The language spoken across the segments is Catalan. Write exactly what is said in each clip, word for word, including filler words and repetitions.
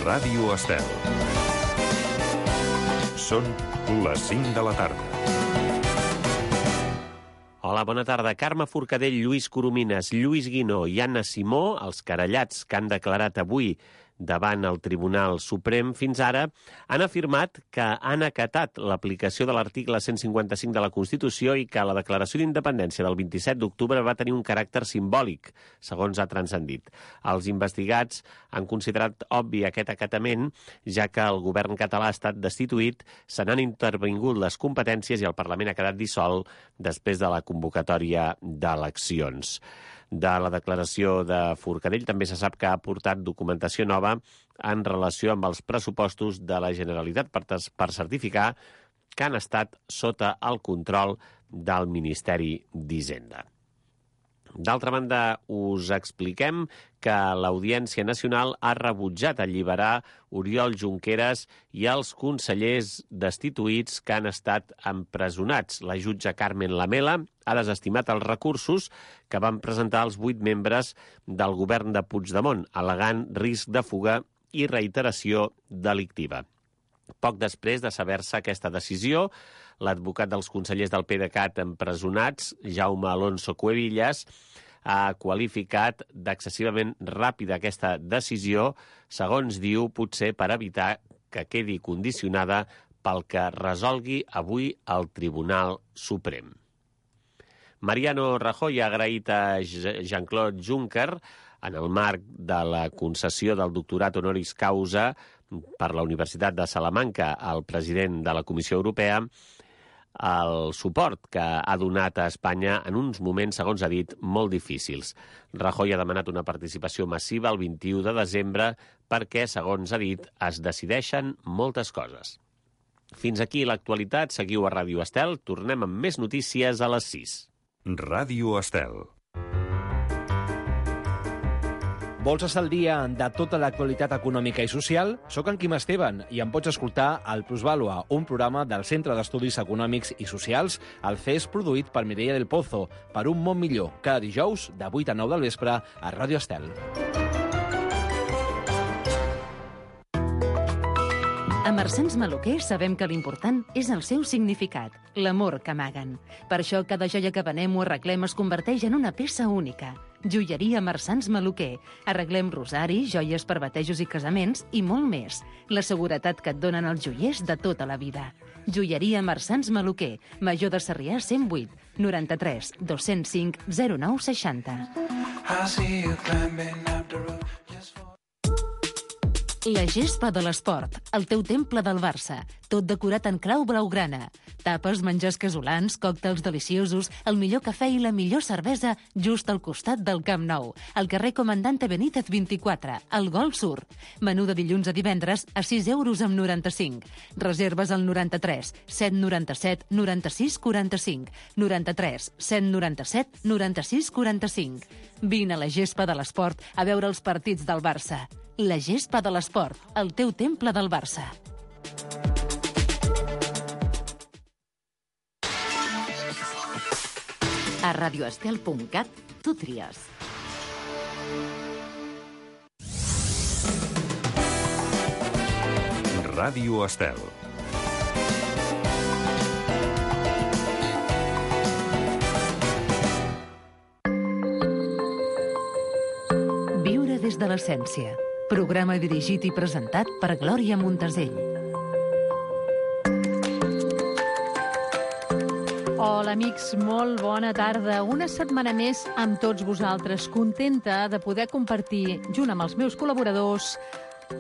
Ràdio Estel. Són les cinc de la tarda. Hola, bona tarda. Carme Forcadell, Lluís Coromines, Lluís Guinó i Anna Simó, els querellats que han declarat avui davant el Tribunal Suprem fins ara, han afirmat que han acatat l'aplicació de l'article cent cinquanta-cinc de la Constitució i que la declaració d'independència del vint-i-set d'octubre va tenir un caràcter simbòlic, segons ha transcendit. Els investigats han considerat obvi aquest acatament, ja que el govern català ha estat destituït, se n'han intervingut les competències i el Parlament ha quedat dissolt després de la convocatòria d'eleccions. De la declaració de Forcadell també se sap que ha aportat documentació nova en relació amb els pressupostos de la Generalitat per, per certificar que han estat sota el control del Ministeri d'Hisenda. D'altra banda, us expliquem que l'Audiència Nacional ha rebutjat alliberar Oriol Junqueras i els consellers destituïts que han estat empresonats. La jutge Carmen Lamela ha desestimat els recursos que van presentar els vuit membres del govern de Puigdemont, al·legant risc de fuga i reiteració delictiva. Poc després de saber-se aquesta decisió, l'advocat dels consellers del PDeCAT empresonats, Jaume Alonso Cuevillas, ha qualificat d'excessivament ràpida aquesta decisió, segons diu, potser per evitar que quedi condicionada pel que resolgui avui el Tribunal Suprem. Mariano Rajoy ha agraït a Jean-Claude Juncker, en el marc de la concessió del doctorat honoris causa per la Universitat de Salamanca al president de la Comissió Europea, el suport que ha donat a Espanya en uns moments, segons ha dit, molt difícils. Rajoy ha demanat una participació massiva el vint-i-u de desembre perquè, segons ha dit, es decideixen moltes coses. Fins aquí l'actualitat. Seguiu a Ràdio Estel. Tornem amb més notícies a les sis. Ràdio Estel. Vols estar al dia de tota l'actualitat econòmica i social? Soc en Quim Esteban i em pots escoltar al Plusvàlua, un programa del Centre d'Estudis Econòmics i Socials, el C E S produït per Mireia del Pozo, per un món millor, cada dijous de vuit a nou del vespre a Ràdio Estel. A Marsans Maluquer sabem que l'important és el seu significat, l'amor que amaguen. Per això cada joia que venem o arreglem es converteix en una peça única. Joieria Marsans Maluquer. Arreglem rosaris, joies per batejos i casaments i molt més. La seguretat que et donen els joiers de tota la vida. Joieria Marsans Maluquer. Major de Sarrià cent vuit, noranta-tres, dos-cents cinc, zero nou seixanta. La gespa de l'esport, el teu temple del Barça, tot decorat en clau blaugrana. Tapes, menjars casolans, còctels deliciosos, el millor cafè i la millor cervesa just al costat del Camp Nou, al carrer Comandante Benítez vint-i-quatre, al Golf Sur. Menú de dilluns a divendres a sis euros amb noranta-cinc. Reserves al noranta-tres, set noranta-set, noranta-sis quaranta-cinc, noranta-tres, set noranta-set, noranta-sis quaranta-cinc. Vine a la gespa de l'esport a veure els partits del Barça. La gespa de l'esport, el teu temple del Barça. A radioestel punt cat tu tries. Ràdio Estel. Viure des de l'essència. Programa dirigit i presentat per Glòria Montesell. Hola, amics, molt bona tarda. Una setmana més amb tots vosaltres, contenta de poder compartir, junt amb els meus col·laboradors,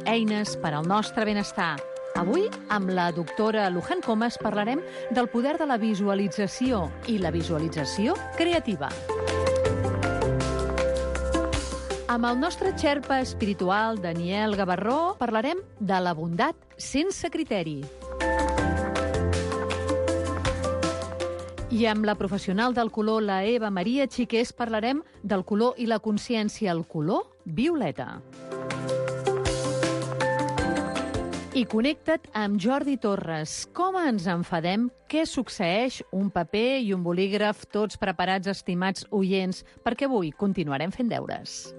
eines per al nostre benestar. Avui, amb la doctora Luján Comas, parlarem del poder de la visualització i la visualització creativa. Amb el nostre xerpa espiritual, Daniel Gavarró, parlarem de la bondat sense criteri. I amb la professional del color, la Eva Maria Xiqués, parlarem del color i la consciència, el color violeta. I connecta't amb Jordi Torres. Com ens enfadem? Què succeeix? Un paper i un bolígraf, tots preparats, estimats oients, perquè avui continuarem fent deures.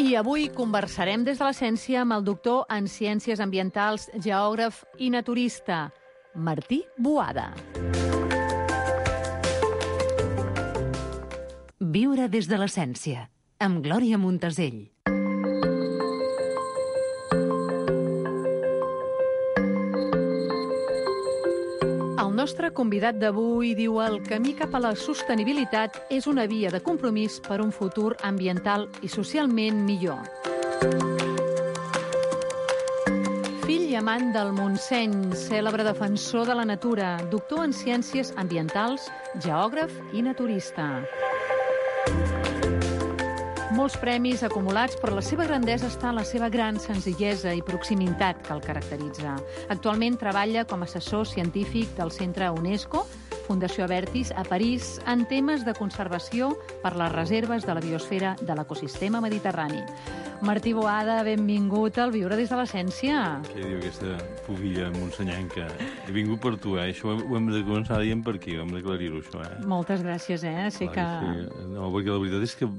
I avui conversarem des de l'essència amb el doctor en Ciències Ambientals, geògraf i naturista, Martí Boada. Viure des de l'essència, amb Glòria Montesell. El nostre convidat d'avui diu el camí cap a la sostenibilitat és una via de compromís per un futur ambiental i socialment millor. Fill i amant del Montseny, cèlebre defensor de la natura, doctor en Ciències Ambientals, geògraf i naturista. Molts premis acumulats, però la seva grandesa està en la seva gran senzillesa i proximitat que el caracteritza. Actualment treballa com a assessor científic del Centre UNESCO, Fundació Avertis, a París, en temes de conservació per les reserves de la biosfera de l'ecosistema mediterrani. Martí Boada, benvingut al Viure des de l'essència. Què diu aquesta pubilla monsenyenca? He vingut per tu, eh? Això ho hem de començar dient per aquí, hem d'aclarir-ho, això, eh? Moltes gràcies, eh? Sé que... Sí. No, perquè la veritat és que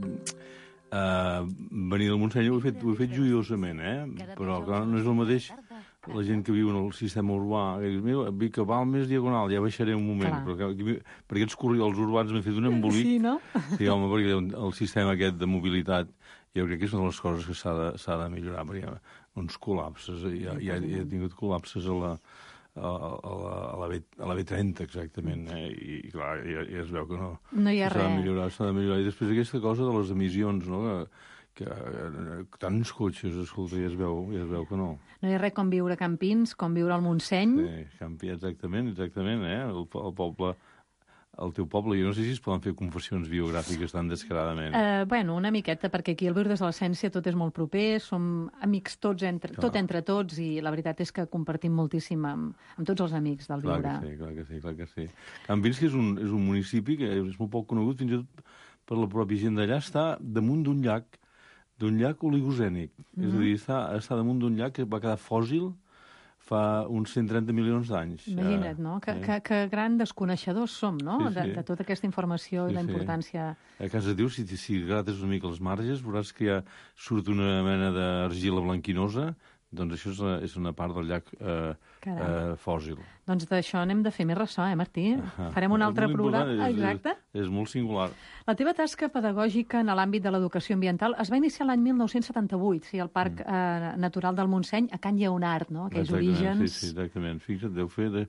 Uh, venir del Montseny ho he fet, ho he fet joiosament, eh? Però clar, no és el mateix la gent que viu en el sistema urbà, que dius, mira, vic a Balmes diagonal, ja baixaré un moment, clar. Però aquí, per aquests corredors urbans m'he fet un embolic. Sí, no? Sí, home, perquè el sistema aquest de mobilitat jo crec que és una de les coses que s'ha de, s'ha de millorar, perquè hi ha uns col·lapses, ja, ja he tingut col·lapses a la a la, a la, B, a la B trenta, exactament, eh? I, i clar, ja, ja es veu que no. No hi ha s'ha res. De millorar, s'ha de millorar. I després aquesta cosa de les emissions, no?, que, que tants cotxes, escolta, ja es veu, ja es veu que no. No hi ha res com viure a Campins, com viure al Montseny. Sí, Campi, exactament, exactament, eh? El, el poble... El teu poble, jo no sé si es poden fer confessions biogràfiques tan descaradament. Uh, bueno, una miqueta, perquè aquí al Viure des de l'essència tot és molt proper, som amics tots entre, tot entre tots, i la veritat és que compartim moltíssim amb, amb tots els amics del Viure. Clar que sí, clar que sí, clar que sí. Campins, que és un, és un municipi que és molt poc conegut, fins i tot per la pròpia gent d'allà, està damunt d'un llac, d'un llac oligocènic. Mm-hmm. És a dir, està, està damunt d'un llac que va quedar fòssil fa uns cent trenta milions d'anys. Imagina't, no? Que, eh? que, que gran desconeixedors som, no? Sí, sí. De, de tota aquesta informació sí, i la importància... Sí. A casa teu, si, si grates una mica els marges, veuràs que ja surt una mena d'argila blanquinosa, doncs això és una, és una part del llac eh, eh, fòssil. Doncs d'això n'hem de fer més ressò, eh, Martí? Ah, farem un altre programa. És, exacte. És, és molt singular. La teva tasca pedagògica en l'àmbit de l'educació ambiental es va iniciar l'any mil nou-cents setanta-vuit, sí, al Parc mm. eh, Natural del Montseny, a Can Lleonard, no? Aquells exactament, orígens... Sí, sí, exactament. Fixa't, deu fer de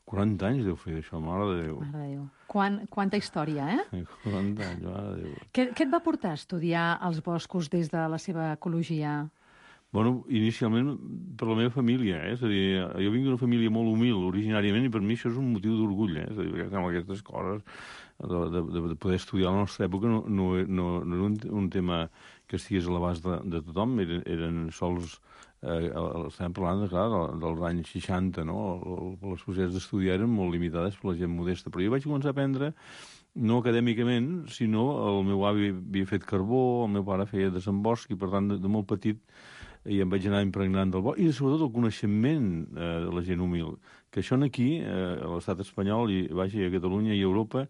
quaranta anys, deu fer això, mare de Déu. Mare de Déu. Quan, quanta història, eh? quaranta anys, mare de Déu. Què, què et va portar a estudiar els boscos des de la seva ecologia? Bueno, inicialment per la meva família, eh? És a dir, jo vinc d'una família molt humil originàriament i per mi això és un motiu d'orgull, eh? És a dir, perquè amb aquestes coses de, de, de poder estudiar a la nostra època no, no, no, no era un, un tema que estigués a l'abast de, de tothom, eren, eren sols, eh, estem parlant, clar, dels anys seixanta, no? Les possibilitats d'estudiar eren molt limitades per la gent modesta, però jo vaig començar a aprendre no acadèmicament, sinó el meu avi havia fet carbó, el meu pare feia desembosc i per tant de, de molt petit i em vaig anar impregnant del bosc, i sobretot el coneixement eh, de la gent humil, que això aquí, eh, a l'estat espanyol, i vaja, a Catalunya i a Europa,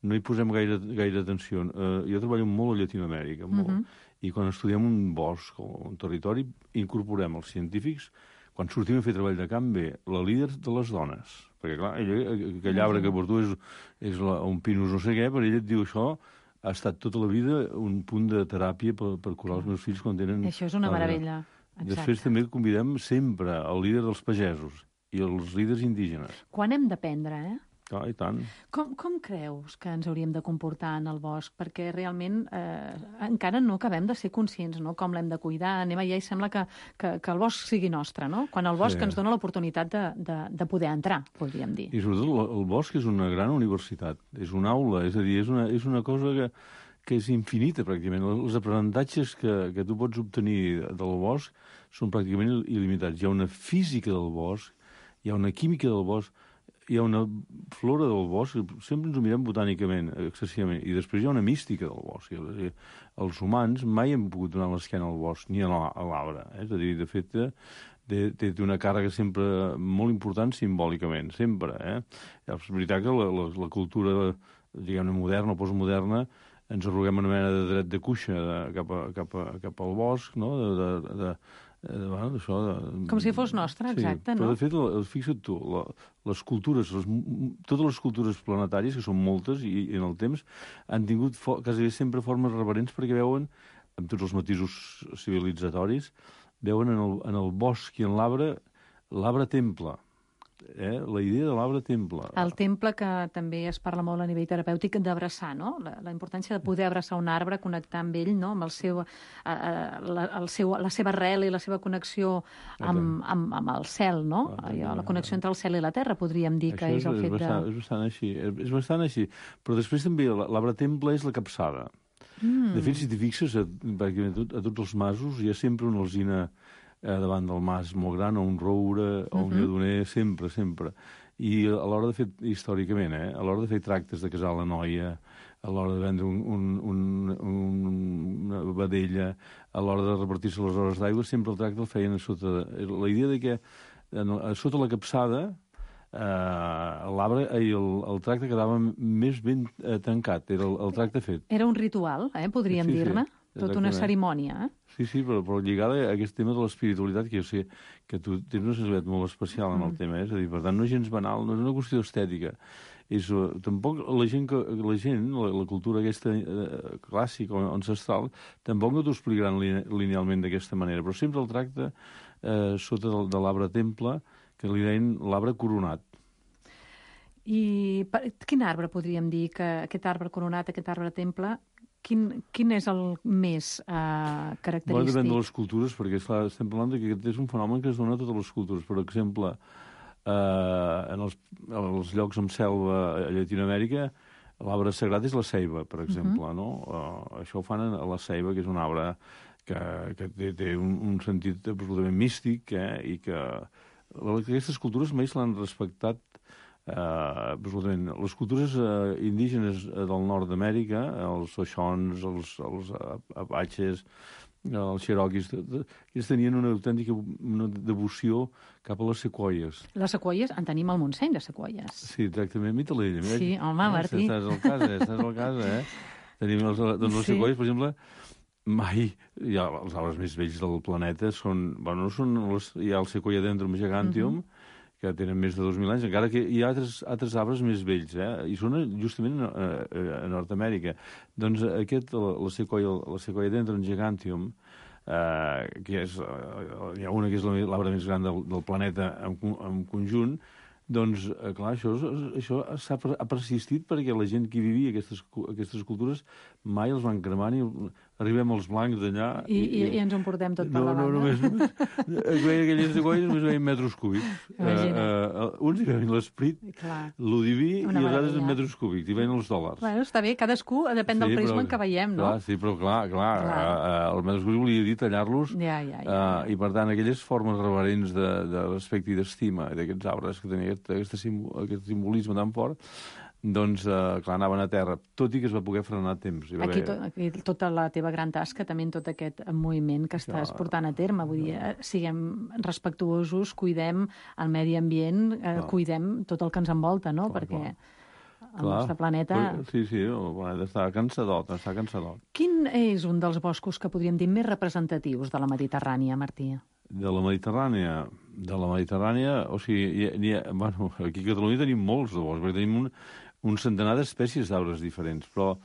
no hi posem gaire, gaire atenció. Eh, jo treballo molt a Llatinoamèrica, molt, uh-huh. I quan estudiem un bosc o un territori, incorporem els científics, quan sortim a fer treball de camp, bé, la líder de les dones, perquè clar, ella, aquell arbre que per tu és, és la, un pinus no sé què, per ella et diu això, ha estat tota la vida un punt de teràpia per, per curar els meus fills quan tenen... Això és una meravella. Exacte. Després també convidem sempre el líder dels pagesos i els líders indígenes. Quan hem d'aprendre, eh? Ah, i tant. Com, com creus que ens hauríem de comportar en el bosc? Perquè realment eh, encara no acabem de ser conscients, no?, com l'hem de cuidar. Anem allà i sembla que, que, que el bosc sigui nostre, no? Quan el bosc sí. ens dona l'oportunitat de, de, de poder entrar, podríem dir. I sobretot el bosc és una gran universitat, és una aula, és a dir, és una, és una cosa que, que és infinita, pràcticament. Els aprenentatges que, que tu pots obtenir del bosc són pràcticament il·limitats. Hi ha una física del bosc, hi ha una química del bosc, hi ha una flora del bosc, sempre ens ho mirem botànicament, excessivament, i després hi ha una mística del bosc. Els humans mai hem pogut donar l'esquena al bosc, ni a l'arbre. És a dir, de fet, té una càrrega sempre molt important simbòlicament, sempre. Eh? És veritat que la, la, la cultura, diguem-ne, moderna o postmoderna, ens arroguem una mena de dret de cuixa de, cap, a, cap, a, cap al bosc, no?, de, de, de, de, bueno, d'això... De... Com si fos nostre, exacte, sí, no? Però, de fet, el, fixa't tu, la, les cultures, les, totes les cultures planetàries, que són moltes, i, i en el temps, han tingut fo, quasi sempre formes reverents perquè veuen, amb tots els matisos civilitzatoris, veuen en el, en el bosc i en l'arbre, l'arbre-temple. Eh? La idea de l'arbre-temple. El temple que també es parla molt a nivell terapèutic d'abraçar, no? La, la importància de poder abraçar un arbre, connectar amb ell, no? Amb el seu, eh, la, el seu, la seva arrel i la seva connexió amb, amb, amb el cel, no? Allò, la connexió entre el cel i la terra, podríem dir que Això és el fet bastant, de... És bastant així, és bastant així. Però després també l'arbre-temple és la capçada. Mm. De fet, si t'hi fixes, a, a, a tots els masos hi ha sempre una alzina eh, davant del mas molt gran, o un roure, o un lledoner, sempre, sempre. I a l'hora de fer, històricament, eh, a l'hora de fer tractes de casar la noia, a l'hora de vendre un, un, un, un, una vedella, a l'hora de repartir-se les hores d'aigua, sempre el tracte el feien a sota... De, la idea de que a sota la capçada eh, l'arbre i el, el tracte quedava més ben eh, tancat, era el, el tracte fet. Era un ritual, eh, podríem sí, dir-ne? Sí. Tota una cerimònia, eh? Sí, sí, però, però lligada a aquest tema de l'espiritualitat, que jo sé que tu tens una sensibilitat molt especial en el mm. tema, eh? És a dir, per tant, no és gens banal, no és una qüestió estètica. És, uh, tampoc la gent, que, la, gent la, la cultura aquesta uh, clàssica o ancestral, tampoc no t'ho explicaran linealment d'aquesta manera, però sempre el tracte uh, sota de, de l'arbre-temple, que li deien l'arbre coronat. I per, quin arbre podríem dir que aquest arbre coronat, aquest arbre-temple, Quin, quin és el més uh, característic? Bueno, depèn de les cultures, perquè esclar, estem parlant que aquest és un fenomen que es dona a totes les cultures. Per exemple, uh, en, els, en els llocs amb selva a Llatinoamèrica, l'arbre sagrat és la ceiba, per exemple. Uh -huh. No? Uh, això ho fan a la ceiba, que és un arbre que, que té, té un, un sentit absolutament místic, eh? I que aquestes cultures mai se l'han respectat. Uh, absolutament. Les cultures uh, indígenes uh, del nord d'Amèrica, els Xoixons, els, els uh, Apaches, uh, els Cherokees, ells tenien una autèntica una devoció cap a les sequoies. Les sequoies, en tenim al Montseny, de sequoies. Sí, exactament. Mita-la ella. Sí, home, eh, Martí. Estàs al cas, eh? Estàs al cas, eh? Tenim els, doncs les sí. sequoies, per exemple, mai, ja, els arbres més vells del planeta són, bueno, no són les, hi ha el Sequoiadendron giganteum, uh -huh. que tenen més de dos mil anys, encara que hi ha altres, altres arbres més vells, eh? I són justament a, a, a Nord-Amèrica. Doncs aquest, la, la Sequoia, la Sequoiadendron giganteum, eh, que és, eh, hi ha una que és l'arbre més gran del, del planeta en, en conjunt, doncs, eh, clar, això, això ha persistit perquè la gent que vivia aquestes, aquestes cultures mai els van cremar ni arribem als blancs d'allà... I, i, i ens ho portem tot per no, davant. No, només... Veien aquelles sequoies, només veien metres cúbics. Uh, uh, uns hi veien l'esprit, lo diví, Una i els altres meravella. en metres cúbics, hi veien els dòlars. Bueno, està bé, cadascú depèn del sí, prisma però, en què veiem, no? Clar, sí, però clar, clar, clar. Uh, uh, els metres cúbics volia dir tallar-los, ja, ja, ja. Uh, i per tant aquelles formes reverents de, de respecte i d'estima d'aquests arbres que tenien aquest, aquest, simbol, aquest simbolisme tan fort, doncs, eh, clar, anaven a terra, tot i que es va poder frenar a temps. Va aquí, haver... to, aquí tota la teva gran tasca, també en tot aquest moviment que estàs portant a terme, vull dir, eh, siguem respectuosos, cuidem el medi ambient, eh, cuidem tot el que ens envolta, no? Clar, perquè clar. el clar. nostre planeta... Sí, sí, el planeta està cansadot, està cansadot. Quin és un dels boscos que podríem dir més representatius de la Mediterrània, Martí? De la Mediterrània, de la Mediterrània, o sigui, hi ha, bueno, aquí a Catalunya tenim molts de boscs, perquè tenim un, un centenar d'espècies d'arbres diferents, però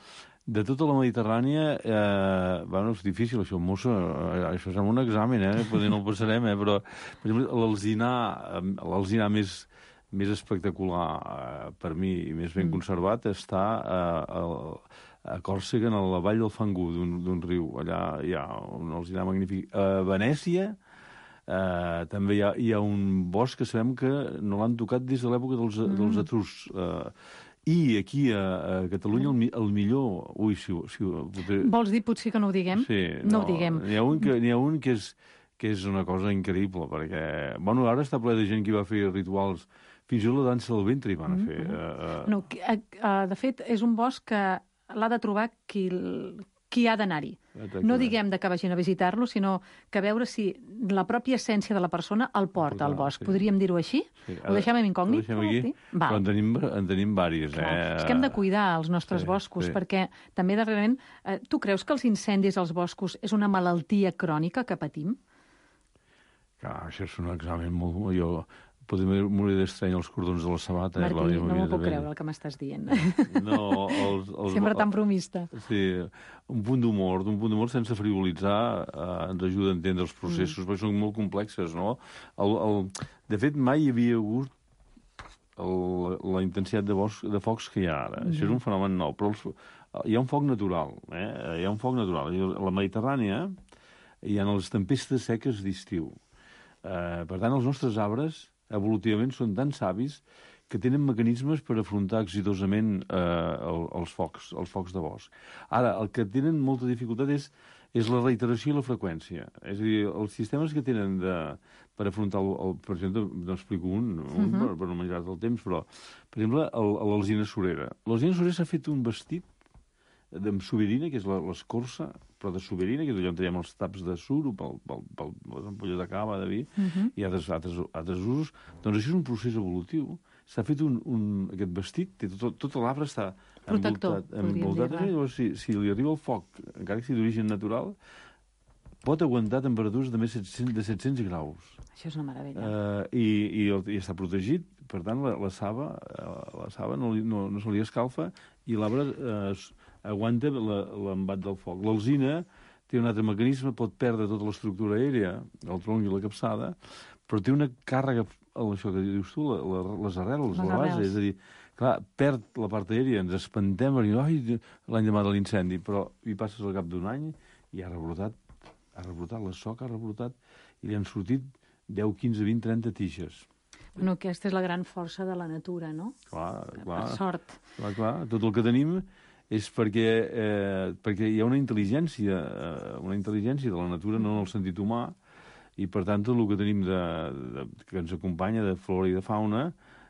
de tota la Mediterrània, eh, bueno, és difícil això, mossa, eh, això és un examen, eh, potser no el passarem, eh, però, per exemple, l'alzinar, l'alzinar més, més espectacular eh, per mi i més ben mm. conservat està eh, a, a Còrsega, en la vall del Fangú, d'un riu. Allà hi ha un alzinar magnífic. A Venècia, Uh, també hi ha, hi ha un bosc que sabem que no l'han tocat des de l'època dels, mm. dels etruscs. Uh, I aquí a, a Catalunya el, el millor... Ui, si, si, potser... Vols dir potser que no ho diguem? Sí, no, no ho diguem. N'hi ha un, que, ha un que, és, que és una cosa increïble, perquè... Bueno, ara està ple de gent que va fer rituals. Fins i tot la dansa del ventre hi van a fer. Mm -hmm. uh, uh... No, uh, uh, de fet, és un bosc que l'ha de trobar qui... qui ha d'anar-hi. No diguem de que vagin a visitar-lo, sinó que veure si la pròpia essència de la persona el porta al bosc. Sí. Podríem dir-ho així? Sí. Ho deixem en incògnit? Ho deixem aquí, però en tenim, en tenim vàries. Eh? És que hem de cuidar els nostres Sí, boscos, sí. perquè també darrerament... Eh, tu creus que els incendis als boscos és una malaltia crònica que patim? Clar, això és un examen molt... Jo podria morir d'estrany els cordons de la sabata. Martí, eh, no m'ho puc creure el que m'estàs dient. No, els, els, Sempre tan bromista. Sí, un punt d'humor, un punt d'humor sense frivolitzar eh, ens ajuda a entendre els processos, mm. perquè són molt complexes, no? El, el, de fet, mai hi havia hagut el, la intensitat de, bosc, de focs que hi ha ara. Mm. Això és un fenomen nou, però els, hi ha un foc natural, eh? Hi ha un foc natural. A la Mediterrània hi ha les tempestes seques d'estiu. Eh, per tant, els nostres arbres evolutivament són tan savis que tenen mecanismes per afrontar exitosament eh, el, els focs, els focs de bosc. Ara, el que tenen molta dificultat és, és la reiteració i la freqüència. És a dir, els sistemes que tenen de, per afrontar, el, el, per exemple, n'explico un, un uh-huh. per, per no menjar-te el temps, però, per exemple, l'alzina surera. L'alzina surera s'ha fet un vestit amb soberina, que és l'escorça, però de soberina, que és allà on tenim els taps de suro, pel, pel, pel, les ampolles de cava, de vi, uh-huh. i altres, altres, altres usos. Doncs això és un procés evolutiu. S'ha fet un, un, aquest vestit, té tot, tot l'arbre està protector, envoltat. envoltat dir, llavors, si, si li arriba el foc, encara que sigui d'origen natural, pot aguantar temperatures de més de set-cents graus. Això és una meravella. Uh, i, i, i està protegit, per tant, la, la saba, la saba no, no, no se li escalfa i l'arbre uh, aguanta l'embat del foc. L'alzina té un altre mecanisme, pot perdre tota l'estructura aèria, el tronc i la capçada, però té una càrrega, això que dius tu, la, la, les arrels, les la base, arrels. És a dir, clar, perd la part aèria, ens espantem, ai, l'any demà de l'incendi, però hi passes al cap d'un any i ha rebrotat, ha rebrotat, la soca ha rebrotat, i li han sortit deu, quinze, vint, trenta tiges. Bueno, aquesta és la gran força de la natura, no? Clar, clar. Per sort. Clar, clar, tot el que tenim és perquè, eh, perquè hi ha una intel·ligència, eh, una intel·ligència de la natura, no en el sentit humà, i per tant tot el que tenim de, de, que ens acompanya de flora i de fauna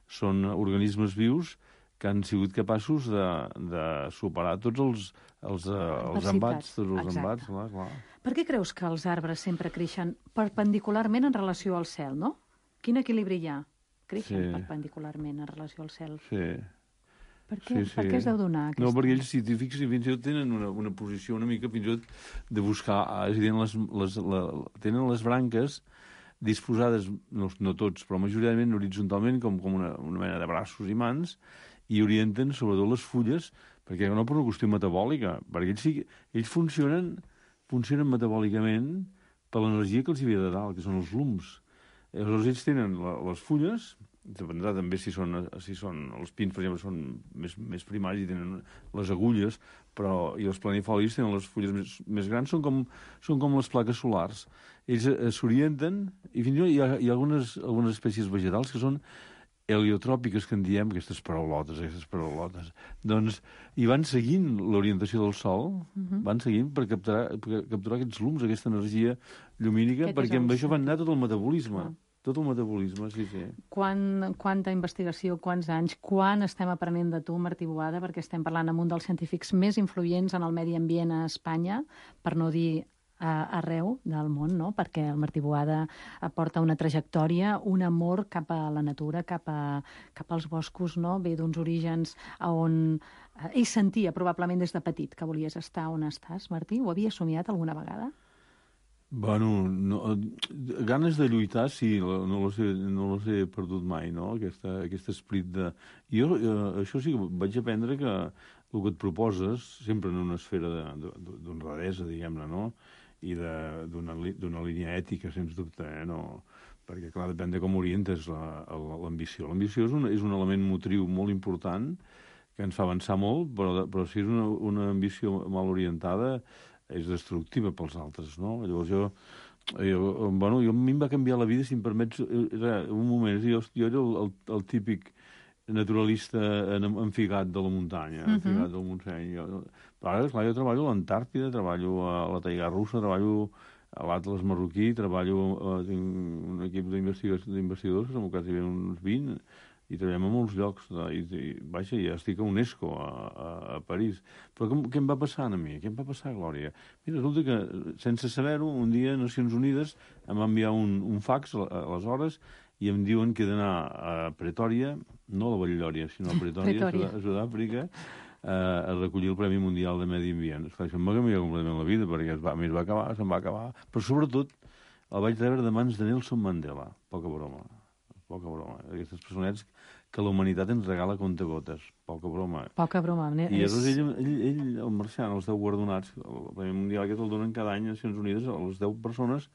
són organismes vius que han sigut capaços de, de superar tots els, els, els embats, tots els Exacte. embats. Clar, clar. Per què creus que els arbres sempre creixen perpendicularment en relació al cel, no? Quin equilibri hi ha? Creixen Sí. perpendicularment en relació al cel. Sí. Per què, Sí, sí. per què es deu donar aquesta? No, perquè ells, si t'hi fixes, fins i tot tenen una, una posició una mica fins i tot de buscar... És a dir, les, les, la, tenen les branques disposades, no, no tots, però majoritàriament horitzontalment, com, com una, una mena de braços i mans, i orienten sobretot les fulles, perquè no per una qüestió metabòlica, perquè ells, sí, ells funcionen, funcionen metabòlicament per l'energia que els hi ve de dalt, que són els lums. Aleshores, ells tenen la, les fulles, dependrà també si són, si són els pins, per exemple, són més, més primaris i tenen les agulles, però i els planifolis tenen les fulles més, més grans, són com, són com les plaques solars. Ells eh, s'orienten, i fins i tot hi ha, hi ha algunes, algunes espècies vegetals que són heliotròpiques, que en diem, aquestes paraulotes, aquestes paraulotes, doncs, i van seguint l'orientació del sol, uh-huh. van seguint per capturar, per capturar aquests lums, aquesta energia llumínica, Aquest perquè amb això van anar tot el metabolisme. Uh-huh. Tot el metabolisme, sí, sí. Quan, quanta investigació, quants anys, quan estem aprenent de tu, Martí Boada, perquè estem parlant amb un dels científics més influents en el medi ambient a Espanya, per no dir a, arreu del món, no? Perquè el Martí Boada aporta una trajectòria, un amor cap a la natura, cap, a, cap als boscos, no? Ve d'uns orígens on ell sentia, probablement des de petit, que volies estar on estàs, Martí. Ho havies somiat alguna vegada? Bueno, no, ganes de lluitar, sí, no les he, no les he perdut mai, no?, Aquesta, aquest esperit de... Jo, eh, això sí que vaig aprendre que el que et proposes, sempre en una esfera d'honradesa, diguem-ne, no?, i d'una línia ètica, sens dubte, eh, no? Perquè, clar, depèn de com orientes l'ambició. L'ambició és, un, és un element motriu molt important que ens fa avançar molt, però, però si és una, una ambició mal orientada, és destructiva pels altres, no? Llavors jo, jo, bueno, jo a mi em va canviar la vida, si em permets, era un moment, jo, jo era el, el, el típic naturalista enfigat de la muntanya, uh-huh. enfigat del Montseny. Jo, però ara, clar, jo treballo a l'Antàrtida, treballo a la taigà russa, treballo a l'Atles marroquí, treballo, tinc un equip d'investigadors, que som quasi uns vint, i treballem a molts llocs, i, i vaja, ja estic a UNESCO, a, a, a París. Però com, què em va passar a mi? Què em va passar, Glòria? Mira, resulta que, sense saber-ho, un dia Nacions Unides em va enviar un, un fax, aleshores, i em diuen que he d'anar a Pretòria, no a la Batllòria, sinó a Pretòria, a Sud-àfrica, a recollir el Premi Mundial de Medi Ambient. Això em va canviar completament la vida, perquè es va, a mi es va acabar, se'n va acabar. Però, sobretot, el vaig rebre de mans de Nelson Mandela. Poca broma. Poca broma. Aquestes personets que la humanitat ens regala contagotes. Poca broma. Poca broma. I llavors ell, ell, ell, el marxant, els deu guardonats, el Premi Mundial aquest el donen cada any a Nacions Unides a les deu persones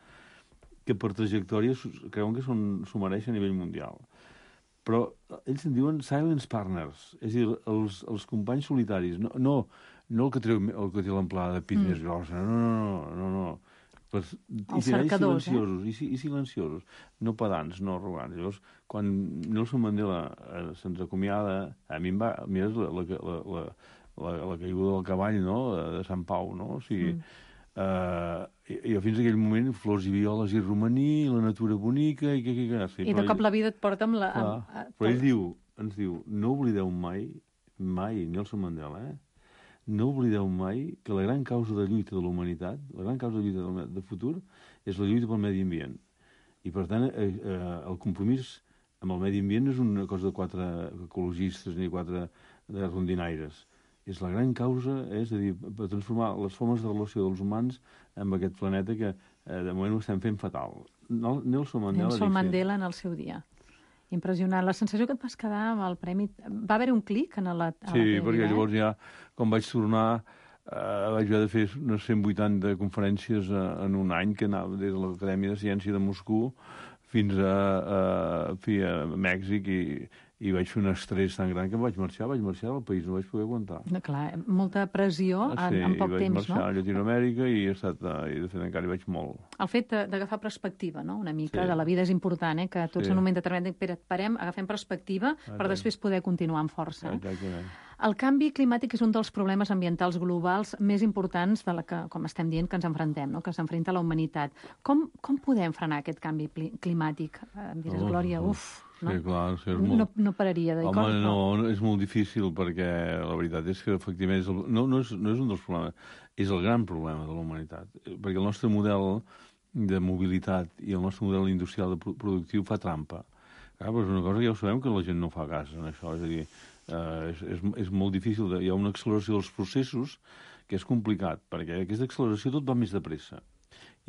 que per trajectòria creuen que s'ho mereixen a nivell mundial. Però ells en diuen silence partners, és a dir, els, els companys solitaris, no, no, no el que treu el que té l'amplada de pit més grossa, no, no, no, no, no. Per, els cercadors, silenciosos, eh? I, i silenciosos, no pedants, no arrogants. Llavors, quan Nelson Mandela eh, se'ns acomiada, a mi em va... Mira, la, la, la, la, la, la caiguda del cavall, no?, de Sant Pau, no? O sigui, mm. eh, jo fins aquell moment, flors i violes i romaní, la natura bonica, i què, què, què... Sí, I de cop la vida et porta amb la... Clar, amb, a, però ell diu, ens diu, no oblideu mai, mai, Nelson Mandela, eh? No oblideu mai que la gran causa de lluita de la humanitat, la gran causa de lluita del, de futur, és la lluita pel medi ambient. I, per tant, eh, eh, el compromís amb el medi ambient no és una cosa de quatre ecologistes ni quatre de rondinaires. És la gran causa, eh, és a dir, per transformar les formes de relació dels humans amb aquest planeta que eh, de moment ho estem fent fatal. Nelson Mandela... Nelson Mandela en el seu dia. Impressionant. La sensació que et vas quedar amb el premi... Va haver un clic en la... A sí, la perquè eh? llavors ja, quan vaig tornar, eh, vaig haver de fer unes cent vuitanta conferències eh, en un any, que anava des de l'Acadèmia de Ciència de Moscou fins a, a, a, a Mèxic, i, i vaig fer un estrès tan gran que em vaig marxar, vaig marxar del país, no vaig poder aguantar. No, clar, molta pressió ah, sí, en, en poc temps, no? Sí, vaig marxar a Llatinoamèrica i he estat, i de fet encara hi vaig molt. El fet d'agafar perspectiva, no?, una mica, sí. de la vida és important, eh?, que tots sí. en un moment determinat dic, parem, agafem perspectiva per Exacte. després poder continuar amb força. Exactament. El canvi climàtic és un dels problemes ambientals globals més importants de la que, com estem dient, que ens enfrontem, no?, que s'enfrenta la humanitat. Com, com podem frenar aquest canvi climàtic? Em diràs, oh, Glòria, oh. uf, no? Sí, clar, sí, és no, molt... no, no pararia de dir Home, coses. no, no, és molt difícil perquè la veritat és que efectivament és el... no, no, és, no és un dels problemes, és el gran problema de la humanitat, perquè el nostre model de mobilitat i el nostre model industrial de productiu fa trampa. Clar, però és una cosa que ja ho sabem que la gent no fa cas en això, és a dir, eh, és, és, és molt difícil, de... hi ha una acceleració dels processos que és complicat, perquè aquesta acceleració tot va més de pressa.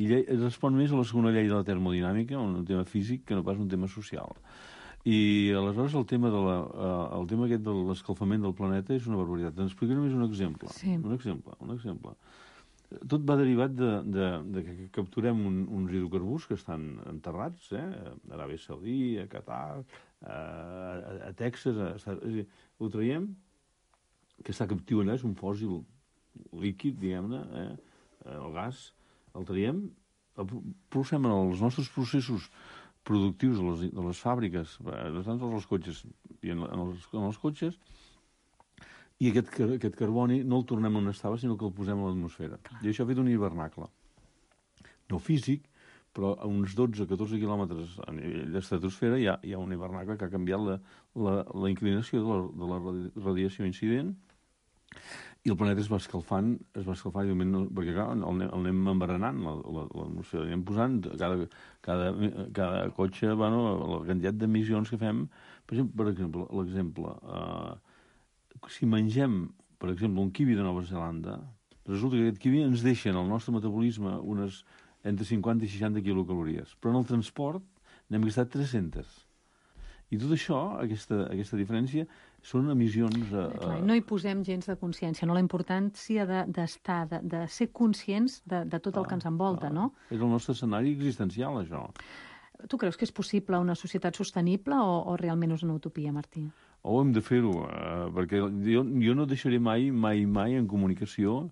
I llei, respon més a la segona llei de la termodinàmica, un tema físic, que no pas un tema social. I aleshores el tema, de la, uh, el tema aquest de l'escalfament del planeta és una barbaritat. Ens explicaré només un exemple. Sí. Un exemple, un exemple. Tot va derivat de, de, de que capturem un, uns hidrocarburs que estan enterrats, eh? A Aràbia Saudí, a Qatar, a, a, a Texas, a, a, a, ho traiem, que està captiu allà, és un fòssil líquid, diguem-ne, eh? El gas, el traiem, el processem en els nostres processos productius de les, de les fàbriques, no tant als cotxes, i en, en, els, en els cotxes, i aquest, aquest carboni no el tornem on estava, sinó que el posem a l'atmosfera. I això ha fet un hivernacle. No físic, però a uns dotze a catorze quilòmetres a nivell d'estratosfera hi ha, hi ha un hivernacle que ha canviat la, la, la inclinació de la, de la radiació incident, i el planeta es va escalfant, es va escalfant, no, perquè clar, el, el anem embaranant, l'atmosfera, l'anem posant, cada, cada, cada cotxe, bueno, la quantitat d'emissions que fem, per exemple, per exemple l'exemple, eh, si mengem, per exemple, un kiwi de Nova Zelanda, resulta que aquest kiwi ens deixa en el nostre metabolisme unes entre cinquanta i seixanta quilocalories, però en el transport n'hem gastat tres-centes. I tot això, aquesta, aquesta diferència, són emissions... Eh, Clar, no hi posem gens de consciència, no? La importància d'estar, de, de, de ser conscients de, de tot el que ens envolta, no? És el nostre escenari existencial, això. Tu creus que és possible una societat sostenible o, o realment és una utopia, Martí? O hem de fer-ho, eh, perquè jo, jo no deixaré mai, mai, mai en comunicació,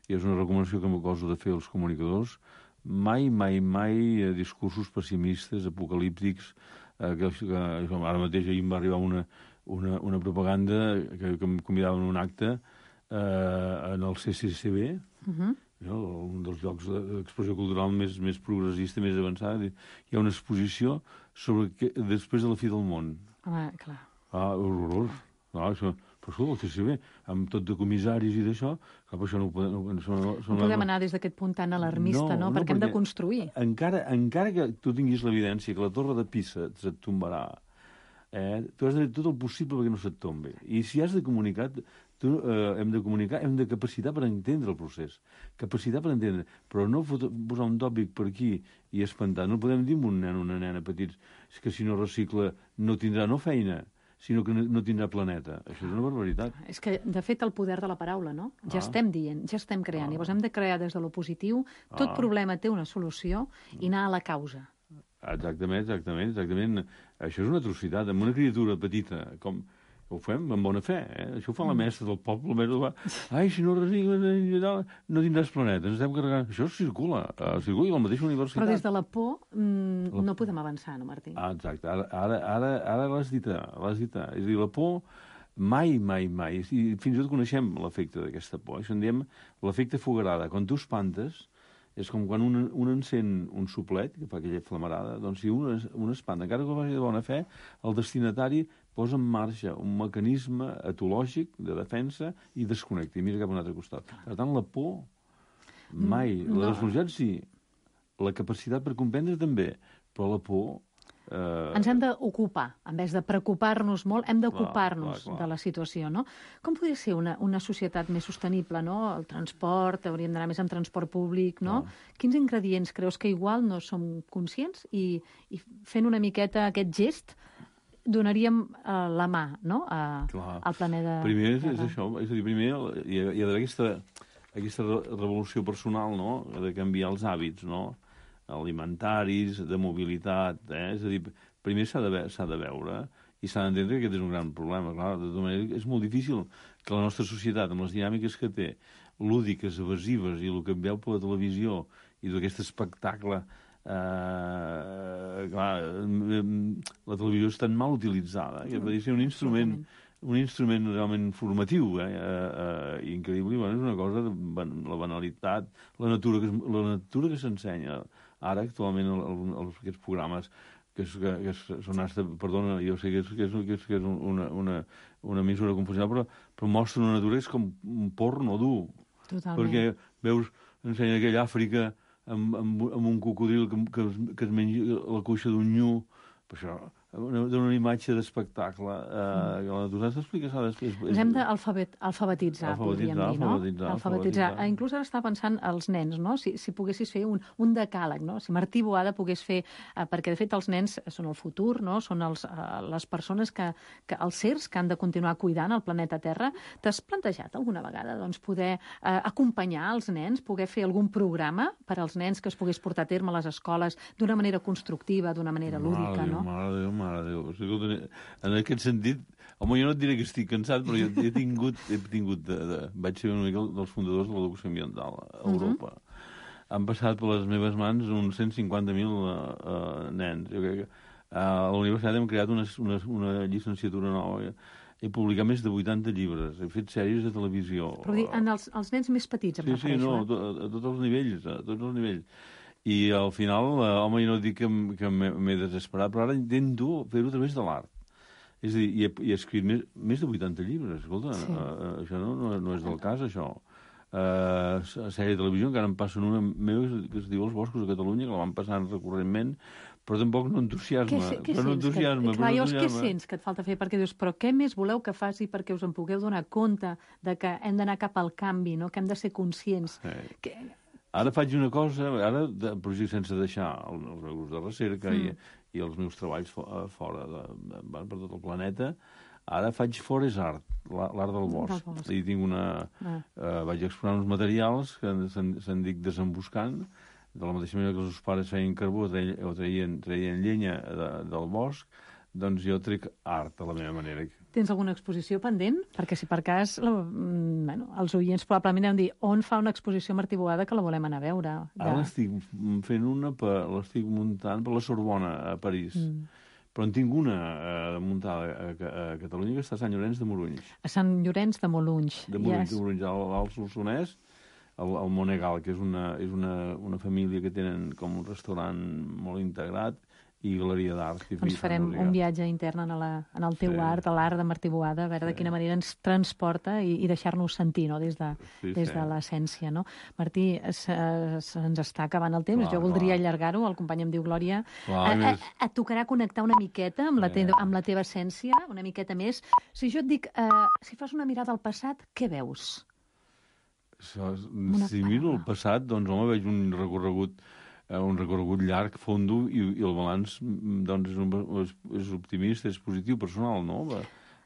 i és una recomanació que m'acoso de fer als comunicadors, mai, mai, mai discursos pessimistes, apocalíptics, eh, que, que ara mateix ahir em va arribar una, una, una propaganda que, que em convidaven a un acte eh, en el C C C B, uh-huh. no? Un dels llocs d'expressió cultural més, més progressista, més avançada. Hi ha una exposició sobre que, després de la fi del món. Ah, clar. Ah, horrorós. No, això, però escolta, sí, sí, bé, amb tot de comissaris i d'això, clar, però això no ho podem... No, no, no, no podem anar des d'aquest punt tan alarmista, no? no? Perquè, perquè hem de construir. Encara, encara que tu tinguis l'evidència que la torre de Pisa se't tombarà, eh, tu has de fer tot el possible perquè no se't tombi. I si has de comunicar, tu, eh, hem de comunicar, hem de capacitar per entendre el procés. Capacitar per entendre, però no posar un tòpic per aquí i espantar. No podem dir a un nen o una nena petits que si no recicla no tindrà no feina, sinó que no tindrà planeta. Això és una barbaritat. És que, de fet, el poder de la paraula, no? Ja ah. estem dient, ja estem creant. Ah. Llavors hem de crear des de lo positiu. Tot ah. problema té una solució i anar a la causa. Exactament, exactament, exactament. Això és una atrocitat. Amb una criatura petita, com... Ho fem amb bona fe, eh? Això ho fa la mestra del poble. Més va... Ai, si no recicles, no tindràs planeta. Ens estem carregant. Això circula, uh, circula a la mateixa universitat. Però des de la por mm, la... no podem avançar, no, Martí? Ah, exacte. Ara, ara, ara, ara l'has dit, l'has dit. És a dir, la por mai, mai, mai. I fins i tot coneixem l'efecte d'aquesta por. Això en diem l'efecte fogarada. Quan tu espantes, és com quan un, un encén un soplet, que fa aquella flamarada, doncs si un, un espanta, encara que ho faci de bona fe, el destinatari posa en marxa un mecanisme etològic de defensa i desconnecta, i mira cap a un altre costat. Per tant, la por, mai. No. La responsabilitat, sí. La capacitat per comprendre, també. Però la por... Eh... Ens hem d'ocupar. En vez de preocupar-nos molt, hem d'ocupar-nos de la situació, no? Com podria ser una, una societat més sostenible, no? El transport, hauríem d'anar més en transport públic, no? Clar. Quins ingredients creus que igual no som conscients i, i fent una miqueta aquest gest donaríem uh, la mà, no?, a, al planeta... Primer és, és això, és a dir, primer hi ha, hi ha d'haver aquesta, aquesta revolució personal, no?, de canviar els hàbits, no?, alimentaris, de mobilitat, eh? És a dir, primer s'ha de, s'ha de veure i s'ha d'entendre que aquest és un gran problema. Clar, de tota manera, és molt difícil que la nostra societat, amb les dinàmiques que té, lúdiques, evasives, i el que veu per la televisió, i d'aquest espectacle... Eh, clar, la televisió és tan mal utilitzada, que podria ser un instrument... un instrument realment formatiu, eh, eh, increïble, i bueno, és una cosa, de, la banalitat, la natura que, la natura que s'ensenya ara, actualment, el, el, aquests programes que, és, que, que són hasta, perdona, jo sé que és, que és, que és, que és una, una, una mesura confusional, però, però mostra una natura que és com un porno dur. Totalment. Perquè veus, ensenya aquella Àfrica amb, amb, amb un cocodril que, que, que es menja la cuixa d'un nyu, per això... Una, una imatge d'espectacle eh, que la natura s'explica després. Ens hem d'alfabetitzar, podríem dir, no? Alfabetitzar, alfabetitzar. Inclús ara està pensant els nens, no? Si, si poguessis fer un, un decàleg, no? Si Martí Boada pogués fer... Eh, perquè, de fet, els nens són el futur, no? Són els, eh, les persones que, que... els sers que han de continuar cuidant el planeta Terra. T'has plantejat alguna vegada, doncs, poder eh, acompanyar els nens, poder fer algun programa per als nens que es pogués portar a terme a les escoles d'una manera constructiva, d'una manera lúdica, no? Mare de Déu, mare de Déu. En aquest sentit, home, jo no et diré que estic cansat, però jo he tingut, he tingut de, de, vaig ser una mica dels fundadors de l'educació ambiental a Europa. Uh -huh. Han passat per les meves mans uns cent cinquanta mil uh, uh, nens. Jo crec que uh, a la universitat hem creat una, una, una llicenciatura nova. He publicat més de vuitanta llibres, he fet sèries de televisió. Però dir, en els, els nens més petits, em sí, refereixo. Sí, no, eh? a, a tots els nivells, a tots els nivells. I al final, eh, home, jo no dic que, que m'he desesperat, però ara intento fer-ho a través de l'art. És a dir, i he, he escrit més, més de vuitanta llibres, escolta, sí. uh, això no, no, no és del cas, això. Uh, sèrie de televisió, encara em passen una meva que es diu Els boscos de Catalunya, que la van passant recurrentment, però tampoc no entusiasma. Què, què però no entusiasma, que, clar, llavors, què sents que et falta fer? Perquè dius, però què més voleu que faci perquè us en pugueu donar compte de que hem d'anar cap al canvi, no? Que hem de ser conscients? Sí. Que... Ara faig una cosa, ara, però sí, sense deixar els meus grups de recerca mm. i, i els meus treballs fora, de, de, per tot el planeta, ara faig Forest Art, l'art del bosc. Del bosc. I tinc una... Ah. Eh, vaig explorar uns materials que se'n, se'n dic desemboscant, de la mateixa manera que els seus pares feien carbó o traien, traien llenya de, del bosc, doncs jo trec art a la meva manera. Tens alguna exposició pendent? Perquè si per cas, la, bueno, els oients probablement han de dir on fa una exposició Martí Boada que la volem anar a veure. De... Ara l'estic fent una, per, l'estic muntant per la Sorbona, a París. Mm. Però en tinc una eh, muntada a, a, a Catalunya, que està a Sant Llorenç de Morunys. A Sant Llorenç de Morunys. De Morunys, yes. de Morunys, al Solsonès, el, el Monegal, que és, una, és una, una família que tenen com un restaurant molt integrat, i Galeria d'Art. I Ens farem música. un viatge intern en, la, en el teu Sí. art, a l'art de Martí Boada, a veure de Sí. quina manera ens transporta i, i deixar-nos sentir, no?, des de, Sí, des sí. de l'essència, no? Martí, se- se'ns està acabant el temps, Clar, jo voldria clar. allargar-ho, el company em diu Glòria. Clar, A, a, més- et tocarà connectar una miqueta amb la, te Sí. amb la teva essència, una miqueta més. Si jo et dic, eh, si fas una mirada al passat, què veus? Això, Una si miro el paraula. passat, doncs, home, veig un recorregut eh, un recorregut llarg, fondo, i, i el balanç mm, doncs, és, un, és, és optimista, és positiu, personal, no? Va,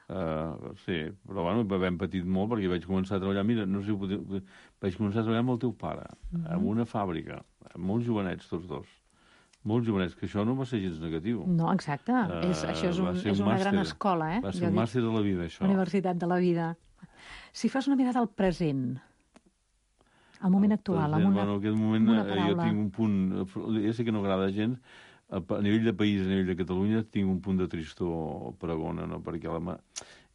uh, sí, però bueno, vam patit molt perquè vaig començar a treballar, mira, no sé, vaig començar a treballar amb el teu pare, Mhm. en una fàbrica, molt jovenets tots dos, molt jovenets, que això no va ser gens negatiu. No, exacte. Eh, és, això és, va un, ser és un una gran màster. escola, eh? Va ser Jo un dic, màster de la vida, això. Universitat de la vida. Si fas una mirada al present, al moment actual, amb una, bueno, en aquest moment amb una eh, jo paraula. tinc un punt, ja sé que no agrada gens, a, a nivell de país, a nivell de Catalunya, tinc un punt de tristor pregona, no? Perquè la, ma-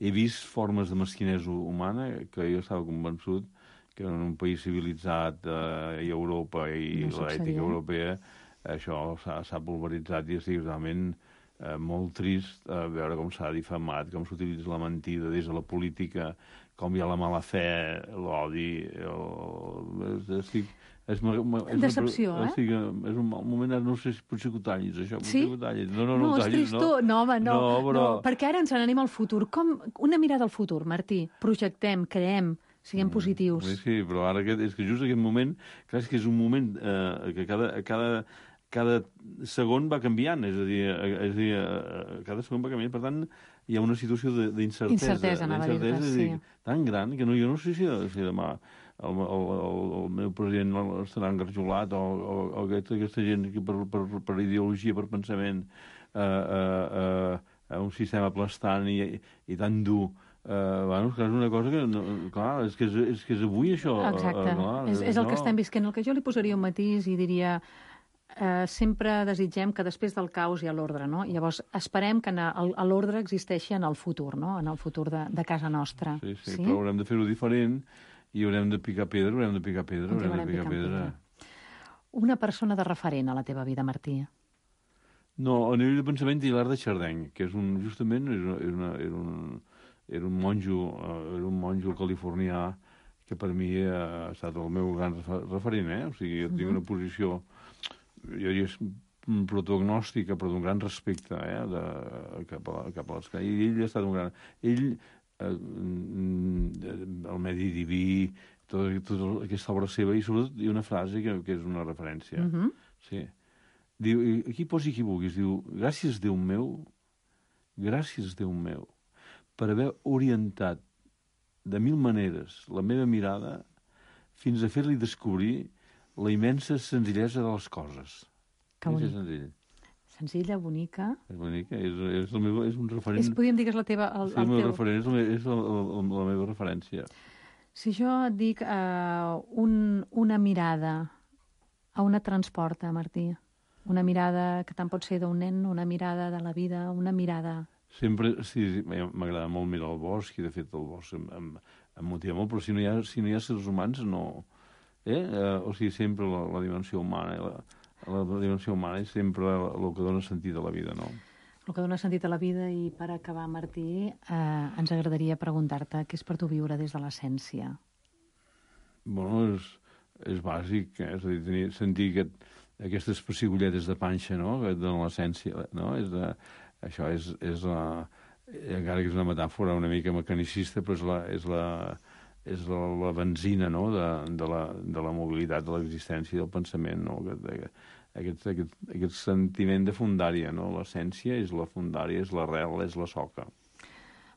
he vist formes de mesquinesa humana que jo estava convençut que en un país civilitzat eh, i Europa i No l'ètica succeirà. europea això s'ha s'ha pulveritzat i estic realment eh, molt trist eh, veure com s'ha difamat, com s'utilitza la mentida des de la política, com hi ha la mala fe, l'odi, el... estic... És, ma- ma- és una- Decepció, eh? Estic, és un mal moment, ara no sé si potser que ho tallis, això. potser Sí? que ho tallis. No, no, no, No, ho és tallis, tristor. No, home, no. No, però... no, perquè ara ens n'anem al futur. Com una mirada al futur, Martí. Projectem, creem, siguem positius. Sí, sí, però ara aquest, és que just aquest moment, clar, és que és un moment eh, que cada, cada, cada segon va canviant, és a dir, eh, és a dir eh, cada segon va canviant, per tant, hi ha una situació de- d'incertesa. Incertesa, anava a dir-te, d'incertesa, és a dir, sí. tan gran que no, jo no sé si, si demà el, el, el, el meu president estarà engarjolat o, o, o aquesta, aquesta gent que per, per, per ideologia, per pensament, eh, eh, eh, un sistema aplastant i, i tan dur. Uh, bueno, és una cosa que, no, clar, és que és, és que és avui això. Exacte. Uh, clar, és, és el que això. estem visquent. El que jo li posaria un matís i diria... Eh, sempre desitgem que després del caos hi ha l'ordre, no? Llavors, esperem que en el- l'ordre existeixi en el futur, no? En el futur de, de casa nostra. Sí, sí, sí, però haurem de fer-ho diferent i haurem de picar pedra, haurem de picar pedra, haurem de Continuarem picar picant pedra. pedra. Una persona de referent a la teva vida, Martí. No, a nivell de pensament, Hilar de Chardeny, que és un, justament era, era, una, era, un, era un monjo, eh, era un monjo californià que per mi ha estat el meu gran refer- referent, eh? O sigui, jo tinc una posició, jo diria, mm, protognòstica, però d'un gran respecte, eh? De, cap a, cap a l'escala. I ell ha estat un gran... Ell, eh, mm, el medi diví, tota, tota aquesta obra seva, i sobretot hi ha una frase que, que és una referència. Mhm. Sí. Diu, i aquí posi qui vulguis, diu, gràcies Déu meu, gràcies Déu meu, per haver orientat de mil maneres la meva mirada fins a fer-li descobrir la immensa senzillesa de les coses. Que És bonic. senzill. Senzilla, bonica. És bonic, és, és, el meu, és un referent... És, podríem dir que és la teva... El, sí, el el meu teu... referent és, el, meu- és el, el, la meva referència. Si jo et dic uh, un, una mirada, a on et transporta, Martí? Una mirada que tant pot ser d'un nen, una mirada de la vida, una mirada... Sempre, sí, sí, m'agrada molt mirar el bosc, i de fet el bosc em, em, em motiva molt, però si no hi ha, si no hi ha éssers humans, no... Eh? eh o sigui, sempre la, la dimensió humana, la, la, la dimensió humana és sempre el que dona sentit a la vida, no? El que dona sentit a la vida. I per acabar, Martí, eh, ens agradaria preguntar-te què és per tu viure des de l'essència? Bueno, és, és bàsic, eh? És a dir, tenir, sentir aquest, aquestes pessigolletes de panxa, no?, que et donen l'essència, no? És de, això és, és la... Encara que és una metàfora una mica mecanicista, però és la, és la, és la, la benzina, no?, de, de, la, de la mobilitat, de l'existència i del pensament, no?, aquest, aquest, aquest, aquest sentiment de fundària, no?, l'essència és la fundària, és l'arrel, és la soca.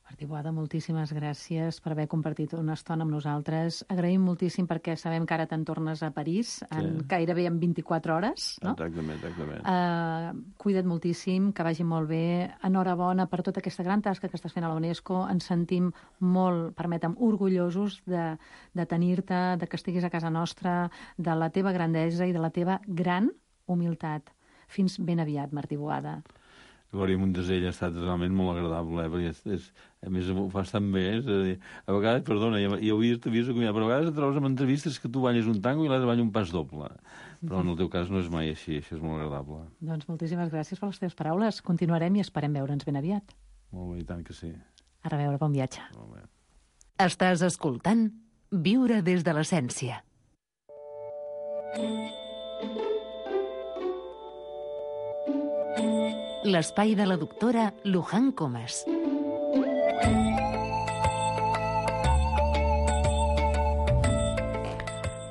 Martí Boada, moltíssimes gràcies per haver compartit una estona amb nosaltres. Agraïm moltíssim perquè sabem que ara te'n tornes a París en Sí. gairebé en vint-i-quatre hores, no? Exactament, exactament. Uh, cuida't moltíssim, que vagi molt bé. Enhorabona per tota aquesta gran tasca que estàs fent a la UNESCO. Ens sentim molt, permetem, orgullosos de, de tenir-te, de que estiguis a casa nostra, de la teva grandesa i de la teva gran humilitat. Fins ben aviat, Martí Boada. Glòria Montesell ha estat realment molt agradable, eh? Perquè és, és, a més ho fas tan bé, és a dir, a vegades, perdona, ja, ja ho havies vist acomiadat, però a vegades et trobes amb entrevistes que tu balles un tango i l'altre balla un pas doble. Però en el teu cas no és mai així, això és molt agradable. Doncs moltíssimes gràcies per les teves paraules. Continuarem i esperem veure'ns ben aviat. Molt bé, i tant que sí. A reveure, bon viatge. Molt bé. Estàs escoltant Viure des de l'essència. L'espai de la doctora Luján Comas.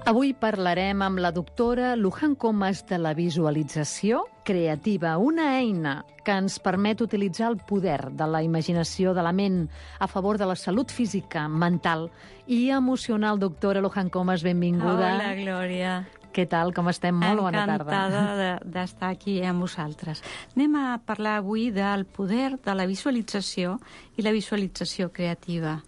Avui parlarem amb la doctora Luján Comas de la visualització creativa, una eina que ens permet utilitzar el poder de la imaginació de la ment a favor de la salut física, mental i emocional. Doctora Luján Comas, benvinguda. Hola, Glòria. Què tal? Com estem? Molt bona tarda. Encantada d'estar aquí amb vosaltres. Anem a parlar avui del poder de la visualització i la visualització creativa.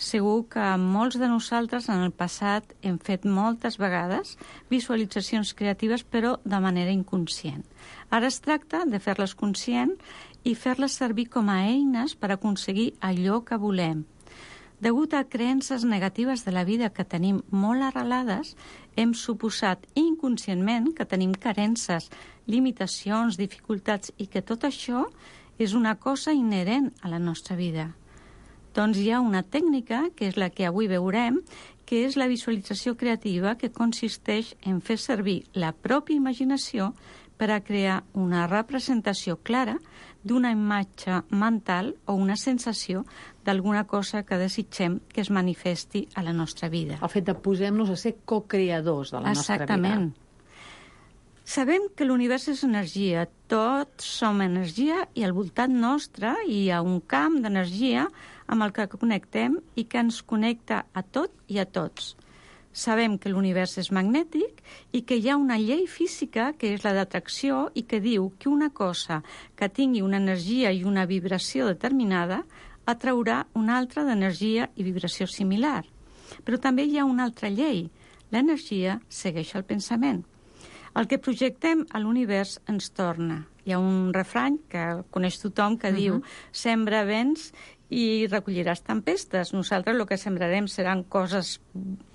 Segur que molts de nosaltres en el passat hem fet moltes vegades visualitzacions creatives, però de manera inconscient. Ara es tracta de fer-les conscient i fer-les servir com a eines per aconseguir allò que volem. Degut a creences negatives de la vida que tenim molt arrelades, hem suposat inconscientment que tenim carences, limitacions, dificultats i que tot això és una cosa inherent a la nostra vida. Doncs hi ha una tècnica, que és la que avui veurem, que és la visualització creativa, que consisteix en fer servir la pròpia imaginació per a crear una representació clara d'una imatge mental o una sensació d'alguna cosa que desitgem que es manifesti a la nostra vida. El fet de posem-nos a ser co-creadors de la nostra vida. Exactament. Sabem que l'univers és energia, tots som energia i al voltant nostre hi ha un camp d'energia amb el que connectem i que ens connecta a tot i a tots. Sabem que l'univers és magnètic i que hi ha una llei física, que és la d'atracció, i que diu que una cosa que tingui una energia i una vibració determinada atraurà una altra d'energia i vibració similar. Però també hi ha una altra llei. L'energia segueix el pensament. El que projectem a l'univers ens torna. Hi ha un refrany que coneix tothom que uh-huh. diu «Sembra vents i recolliràs tempestes». Nosaltres el que sembrarem seran coses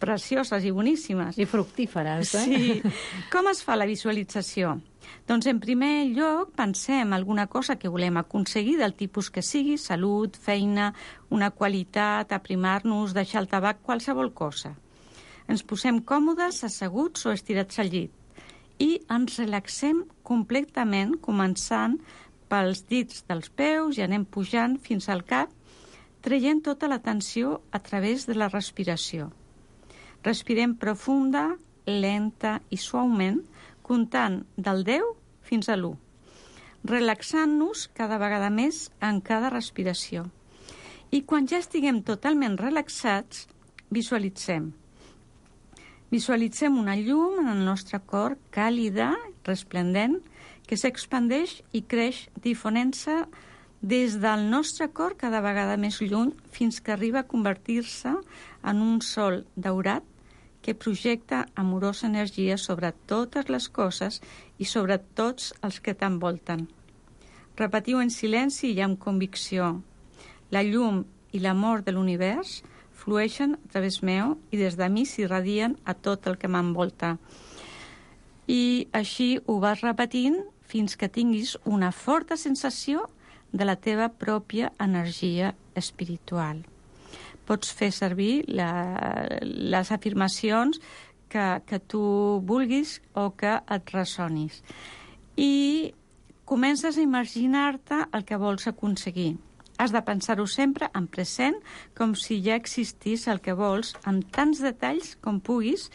precioses i boníssimes. I fructíferes, eh? Sí. Com es fa la visualització? Doncs en primer lloc pensem alguna cosa que volem aconseguir del tipus que sigui, salut, feina, una qualitat, aprimar-nos, deixar el tabac, qualsevol cosa. Ens posem còmodes, asseguts o estirats al llit i ens relaxem completament, començant pels dits dels peus i anem pujant fins al cap, traient tota la tensió a través de la respiració. Respirem profunda, lenta i suaument, comptant del deu fins a l'u, relaxant-nos cada vegada més en cada respiració. I quan ja estiguem totalment relaxats, visualitzem. Visualitzem una llum en el nostre cor càlida, resplendent, que s'expandeix i creix difonent-se des del nostre cor cada vegada més lluny fins que arriba a convertir-se en un sol daurat que projecta amorosa energia sobre totes les coses i sobre tots els que t'envolten. Repetiu en silenci i amb convicció. La llum i l'amor de l'univers flueixen a través meu i des de mi s'irradien a tot el que m'envolta. I així ho vas repetint fins que tinguis una forta sensació de la teva pròpia energia espiritual. Pots fer servir la, les afirmacions que, que tu vulguis o que et ressonis. I comences a imaginar-te el que vols aconseguir. Has de pensar-ho sempre en present, com si ja existís el que vols, amb tants detalls com puguis,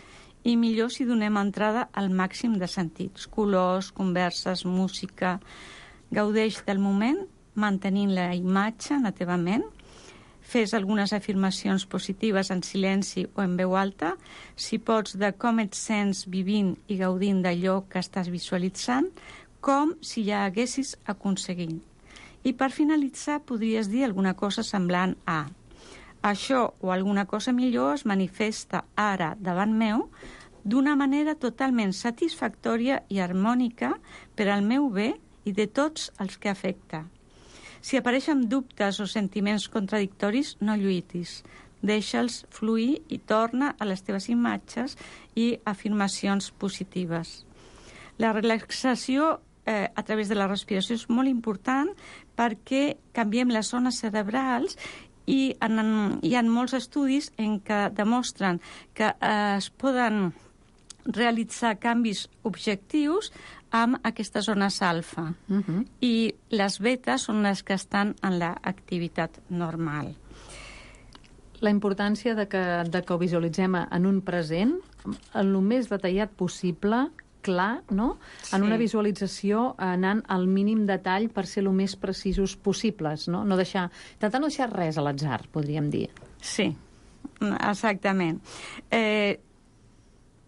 i millor si donem entrada al màxim de sentits. Colors, converses, música. Gaudeix del moment, mantenint la imatge en la teva ment. Fes algunes afirmacions positives en silenci o en veu alta, si pots, de com et sents vivint i gaudint d'allò que estàs visualitzant, com si ja haguessis aconseguit. I per finalitzar podries dir alguna cosa semblant a això o alguna cosa millor es manifesta ara davant meu d'una manera totalment satisfactòria i harmònica per al meu bé i de tots els que afecta. Si apareixen dubtes o sentiments contradictoris, no lluitis. Deixa'ls fluir i torna a les teves imatges i afirmacions positives. La relaxació eh, a través de la respiració és molt important perquè canviem les zones cerebrals i en, hi ha molts estudis en què demostren que eh, es poden realitzar canvis objectius amb aquestes zones alfa. Uh-huh. I les betes són les que estan en l'activitat normal. La importància de que, de que ho visualitzem en un present, en el més detallat possible, clar, no? Sí. En una visualització anant al mínim detall per ser el més precisos possibles, no? No deixar, intentar no deixar res a l'atzar, podríem dir. Sí, exactament. Eh,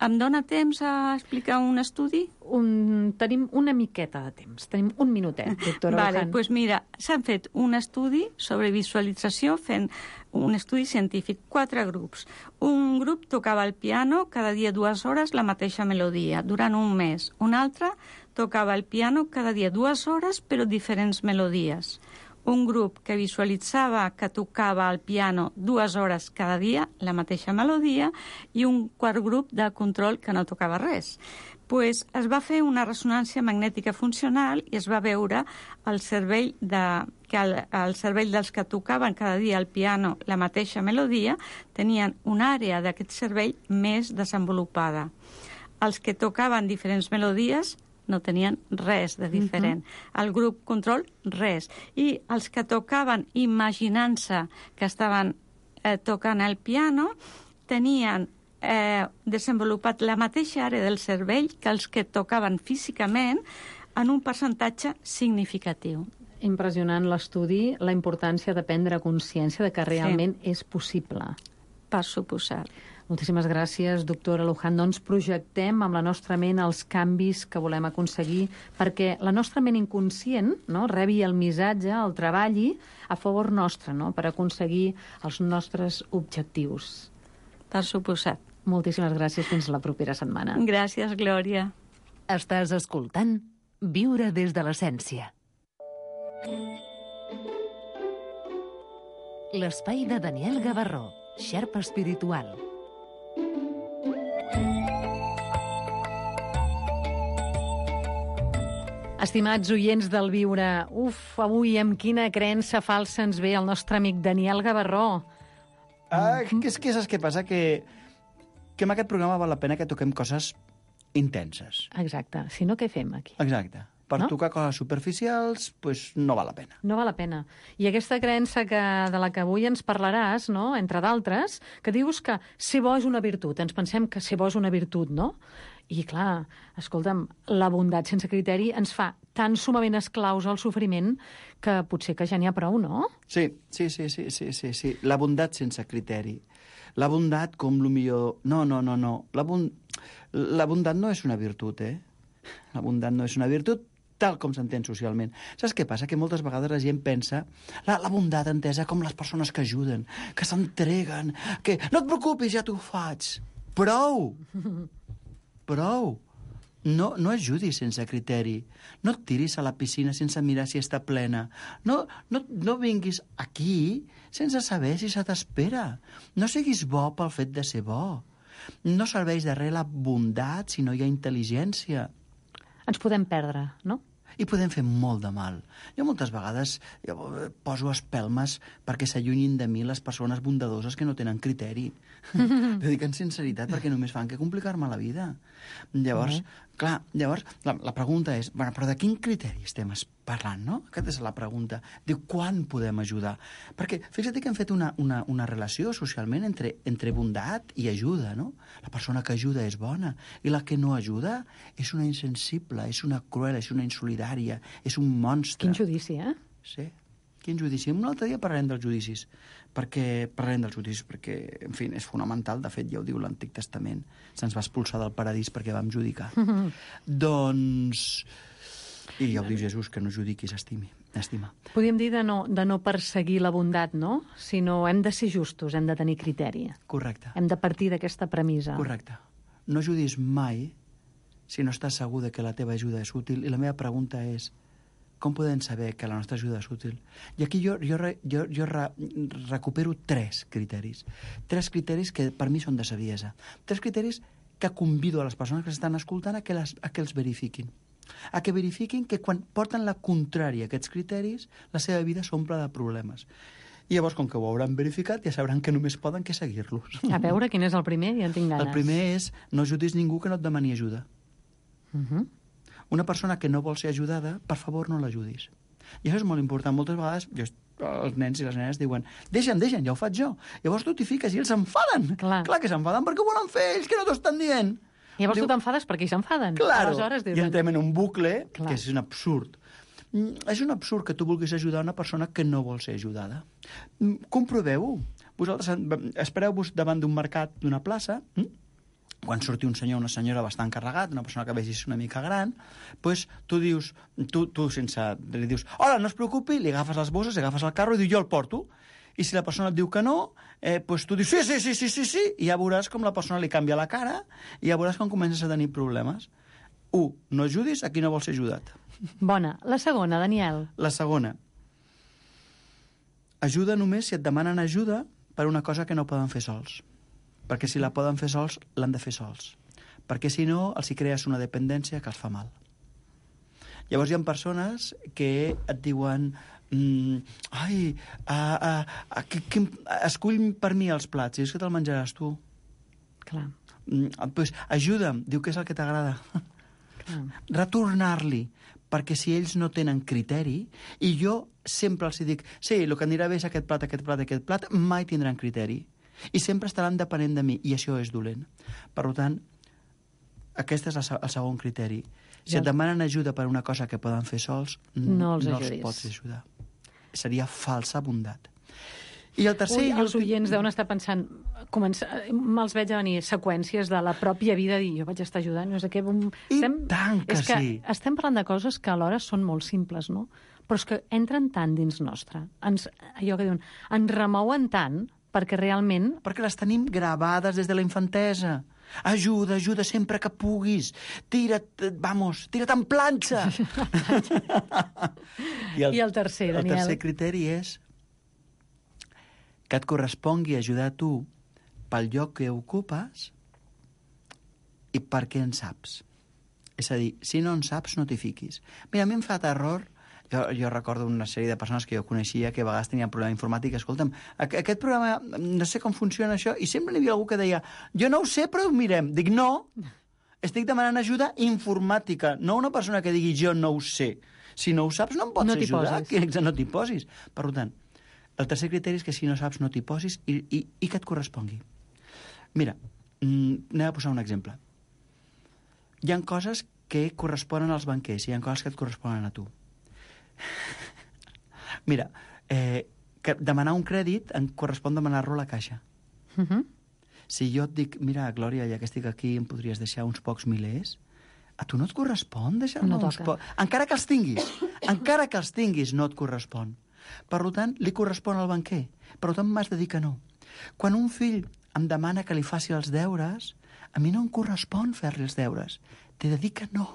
em dóna temps a explicar un estudi? Un, tenim una miqueta de temps, tenim un minutet, doctora Vale, Luján. pues mira, s'han fet un estudi sobre visualització fent un estudi científic, quatre grups. Un grup tocava el piano cada dia dues hores la mateixa melodia, durant un mes. Un altre tocava el piano cada dia dues hores, però diferents melodies. Un grup que visualitzava que tocava el piano dues hores cada dia, la mateixa melodia, i un quart grup de control que no tocava res. Pues es va fer una ressonància magnètica funcional i es va veure el cervell de, que el, el cervell dels que tocaven cada dia el piano la mateixa melodia tenien una àrea d'aquest cervell més desenvolupada. Els que tocaven diferents melodies no tenien res de diferent. Uh-huh. El grup control, res. I els que tocaven imaginant-se que estaven eh, tocant el piano tenien eh, desenvolupat la mateixa àrea del cervell que els que tocaven físicament en un percentatge significatiu. Impressionant l'estudi, la importància de prendre consciència de que realment sí. És possible. Per suposat. Moltíssimes gràcies, doctora Luján. Doncs projectem amb la nostra ment els canvis que volem aconseguir perquè la nostra ment inconscient, no, rebi el missatge, el treballi a favor nostre, no, per aconseguir els nostres objectius. Per suposat. Moltíssimes gràcies. Fins la propera setmana. Gràcies, Glòria. Estàs escoltant Viure des de l'essència. L'espai de Daniel Gavarró, xerpa espiritual. Estimats oients del Viure, uf, avui amb quina creença falsa ens ve el nostre amic Daniel Gavarró. Ah, que és que saps què passa? Que, que en aquest programa val la pena que toquem coses intenses. Exacte. Si no, què fem aquí? Exacte. Per no? tocar coses superficials, pues, no val la pena. No val la pena. I aquesta creença que, de la que avui ens parlaràs, no?, entre d'altres, que dius que ser bo és una virtut. Ens pensem que ser bo és una virtut, no? I, clar, escolta'm, la bondat sense criteri ens fa tan sumament esclaus al sofriment que potser que ja n'hi ha prou, no? Sí, sí, sí, sí, sí, sí, sí. La bondat sense criteri. La bondat com lo millor... No, no, no, no. La, bon... la bondat no és una virtut, eh? La bondat no és una virtut tal com s'entén socialment. Saps què passa? Que moltes vegades la gent pensa la, la bondat entesa com les persones que ajuden, que s'entreguen, que no et preocupis, ja t'ho faig. Prou! Prou! No, no ajudis sense criteri. No et tiris a la piscina sense mirar si està plena. No, no, no vinguis aquí sense saber si se t'espera. No siguis bo pel fet de ser bo. No serveix de res la bondat si no hi ha intel·ligència. Ens podem perdre, no? I podem fer molt de mal. Jo moltes vegades jo poso espelmes perquè s'allunyin de mi les persones bondadoses que no tenen criteri. Ho dic en sinceritat perquè només fan que complicar-me la vida. Llavors, mm-hmm. clar, llavors la, la pregunta és, bueno, però de quin criteri estem parlant, no? Aquesta és la pregunta. Diu, quan podem ajudar? Perquè fixa't que hem fet una, una, una relació socialment entre, entre bondat i ajuda, no? La persona que ajuda és bona i la que no ajuda és una insensible, és una cruel, és una insolidària, és un monstre. Quin judici, eh? Sí, quin judici. Un altre dia parlarem dels judicis, perquè parlarem dels judicis, perquè, en fi, és fonamental, de fet, ja ho diu l'Antic Testament. Se'ns va expulsar del paradís perquè vam judicar. Doncs... I ja ho diu Jesús, que no judiqui, s'estimi, estima. Podríem dir de no, de no perseguir la bondat, no? Sinó hem de ser justos, hem de tenir criteri. Correcte. Hem de partir d'aquesta premissa. Correcte. No ajudis mai si no estàs segur de que la teva ajuda és útil. I la meva pregunta és, com podem saber que la nostra ajuda és útil? I aquí jo, jo, jo, jo re, recupero tres criteris. Tres criteris que per mi són de saviesa. Tres criteris que convido a les persones que s'estan escoltant a que, les, a que els verifiquin. A que verifiquin que quan porten la contrària a aquests criteris, la seva vida s'omple de problemes. I llavors, com que ho hauran verificat, ja sabran que només poden que seguir-los. A veure, quin és el primer? Ja en tinc ganes. El primer és no ajudis ningú que no et demani ajuda. Uh -huh. Una persona que no vol ser ajudada, per favor, no l'ajudis. I això és molt important. Moltes vegades jo, els nens i les nenes diuen deixa'm, deixa'm, ja ho faig jo. Llavors tu t'hi fiques i ells s'enfaden. Clar. Clar que s'enfaden perquè ho volen fer ells, que no t'ho estan dient. Llavors Diu, tu t'enfades perquè ells s'enfaden. Claro, Aleshores, dius, i entrem en un bucle Clar. que és un absurd. Mm, És un absurd que tu vulguis ajudar una persona que no vol ser ajudada. Mm, Comproveu-ho. Vosaltres espereu-vos davant d'un mercat, d'una plaça, mm? quan surti un senyor o una senyora bastant carregat, una persona que vegis una mica gran, doncs tu dius, tu, tu sense... li dius, hola, no es preocupi, li agafes les bosses, li agafes el carro i diu, jo el porto. I si la persona et diu que no, eh, doncs tu dius, sí, sí, sí, sí, sí, sí, i ja veuràs com la persona li canvia la cara i ja veuràs com comences a tenir problemes. Un, no ajudis a qui no vol ser ajudat. Bona. La segona, Daniel. La segona, ajuda només si et demanen ajuda per una cosa que no poden fer sols. Perquè si la poden fer sols, l'han de fer sols. Perquè si no, els hi crees una dependència que els fa mal. Llavors hi ha persones que et diuen mm, ai, a, a, a, que, que, escull per mi els plats, i és que te'l menjaràs tu. Clar. Mm, pues, ajuda'm, diu que és el que t'agrada. Retornar-li, perquè si ells no tenen criteri, i jo sempre els dic, sí, el que anirà bé és aquest plat, aquest plat, aquest plat, mai tindran criteri. I sempre estaran depenent de mi, i això és dolent. Per tant, aquest és el segon criteri. Si et demanen ajuda per una cosa que poden fer sols, no els, no els pots ajudar. Seria falsa bondat. I el tercer... Ui, els oients deuen estar pensant, començar, me'ls veig a venir seqüències de la pròpia vida, dir, jo vaig estar ajudant, no sé què... Bum... I estem, tant que és que sí! Estem parlant de coses que alhora són molt simples, no? Però és que entren tant dins nostre, ens, allò que diuen, ens remouen tant, perquè realment... Perquè les tenim gravades des de la infantesa. Ajuda, ajuda sempre que puguis. Tira't, vamos, tira't en planxa. I, el, I el tercer, Daniel? El tercer criteri és que et correspongui ajudar a tu pel lloc que ocupes i perquè en saps. És a dir, si no en saps, no t'hi fiquis. Mira, a mi em fa terror... Jo, jo recordo una sèrie de persones que jo coneixia que a vegades tenien problema informàtic. Escolta'm, aquest programa, no sé com funciona això, i sempre n'hi havia algú que deia, jo no ho sé, però ho mirem. Dic, no, estic demanant ajuda informàtica, no una persona que digui, jo no ho sé. Si no ho saps, no em pots no ajudar. Que no t'hi posis. Per tant, el tercer criteri és que si no saps, no t'hi posis i, i, i que et correspongui. Mira, anem a posar un exemple. Hi ha coses que corresponen als banquers i hi ha coses que et corresponen a tu. Mira, eh, que demanar un crèdit em correspon demanar-lo a la caixa. Uh -huh. Si jo et dic, mira, Glòria, ja que estic aquí em podries deixar uns pocs milers, a tu no et correspon deixar-me no uns pocs... Encara que els tinguis, encara que els tinguis, no et correspon. Per tant, li correspon al banquer. Per tant, m'has de dir que no. Quan un fill em demana que li faci els deures, a mi no em correspon fer-li els deures. T'he de dir que no.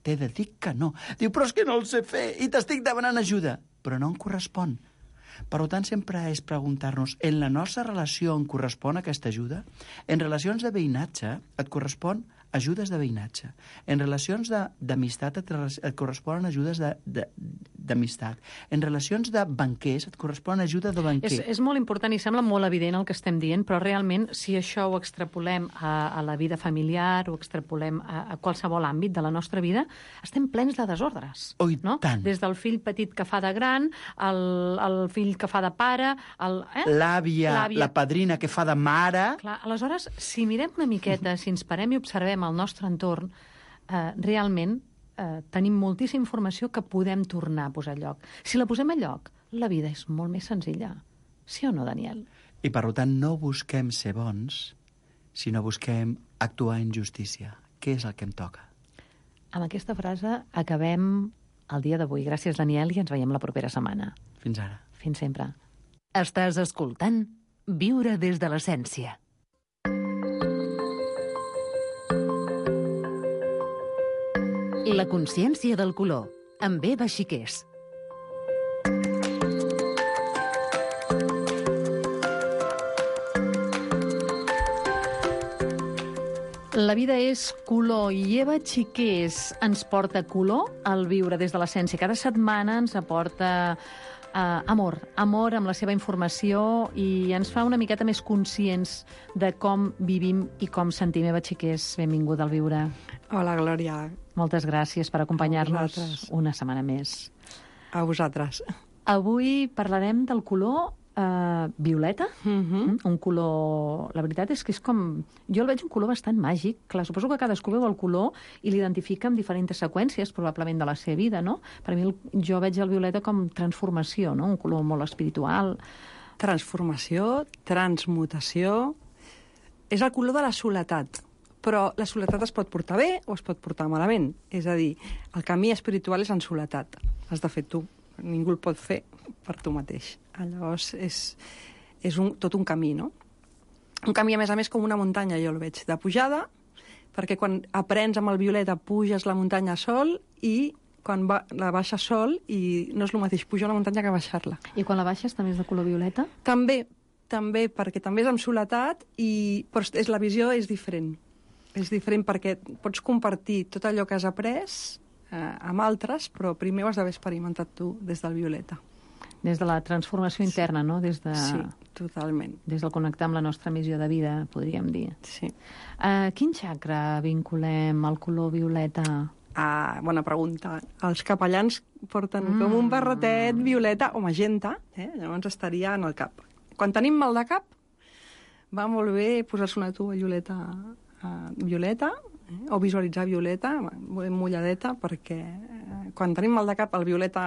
T'he de dir que no. Diu, però és que no el sé fer i t'estic demanant ajuda. Però no em correspon. Per tant, sempre és preguntar-nos, en la nostra relació em correspon aquesta ajuda? En relacions de veïnatge et correspon ajudes de veïnatge. En relacions d'amistat et, et corresponen ajudes d'amistat. En relacions de banquers et correspon ajuda de banquer. És, és molt important i sembla molt evident el que estem dient, però realment, si això ho extrapolem a, a la vida familiar, ho extrapolem a, a qualsevol àmbit de la nostra vida, estem plens de desordres. Oh, i no? tant. Des del fill petit que fa de gran, el, el fill que fa de pare... Eh? L'àvia, la padrina que fa de mare... Clar, aleshores, si mirem una miqueta, si ens parem i observem al nostre entorn, eh, realment eh, tenim moltíssima informació que podem tornar a posar a lloc. Si la posem a lloc, la vida és molt més senzilla. Sí o no, Daniel? I per tant no busquem ser bons, sinó busquem actuar en justícia. Què és el que em toca? Amb aquesta frase acabem el dia d'avui. Gràcies, Daniel, i ens veiem la propera setmana. Fins ara. Fins sempre. Estàs escoltant Viure des de l'essència. La consciència del color, amb Eva Xiquers. La vida és color i Eva Xiquers ens porta color al viure des de l'essència. Cada setmana ens aporta uh, amor, amor amb la seva informació i ens fa una miqueta més conscients de com vivim i com sentim. Eva Xiquers, benvinguda al viure. Hola, Glòria. Moltes gràcies per acompanyar-nos vosaltres. Una setmana més. A vosaltres. Avui parlarem del color Uh, violeta, Uh-huh. un color... La veritat és que és com... Jo el veig un color bastant màgic. Clar, suposo que cadascú veu el color i l'identifica amb diferents seqüències, probablement, de la seva vida, no? Per mi, el, jo veig el violeta com transformació, no? Un color molt espiritual. Transformació, transmutació... És el color de la soledat. Però la soledat es pot portar bé o es pot portar malament. És a dir, el camí espiritual és en soledat. Has de fer tu. Ningú el pot fer per tu mateix. Llavors, és, és un, tot un camí, no? Un camí, a més a més, com una muntanya, jo el veig, de pujada, perquè quan aprens amb el violeta puges la muntanya sol i quan va, la baixes sol i no és el mateix pujar una muntanya que baixar-la. I quan la baixes també és de color violeta? També, també, perquè també és amb soledat, i, però és, la visió és diferent. És diferent perquè pots compartir tot allò que has après eh, amb altres, però primer ho has d'haver experimentat tu des del violeta. Des de la transformació interna, no? Des de... Sí, totalment. Des del connectar amb la nostra missió de vida, podríem dir. Sí. Uh, quin xacra vinculem al color violeta? Ah, bona pregunta. Els capellans porten mm. com un barretet violeta o magenta, eh? Llavors estaria en el cap. Quan tenim mal de cap, va molt bé posar-se una tovallioleta uh, violeta, eh? O visualitzar violeta, mulladeta, perquè eh, quan tenim mal de cap el violeta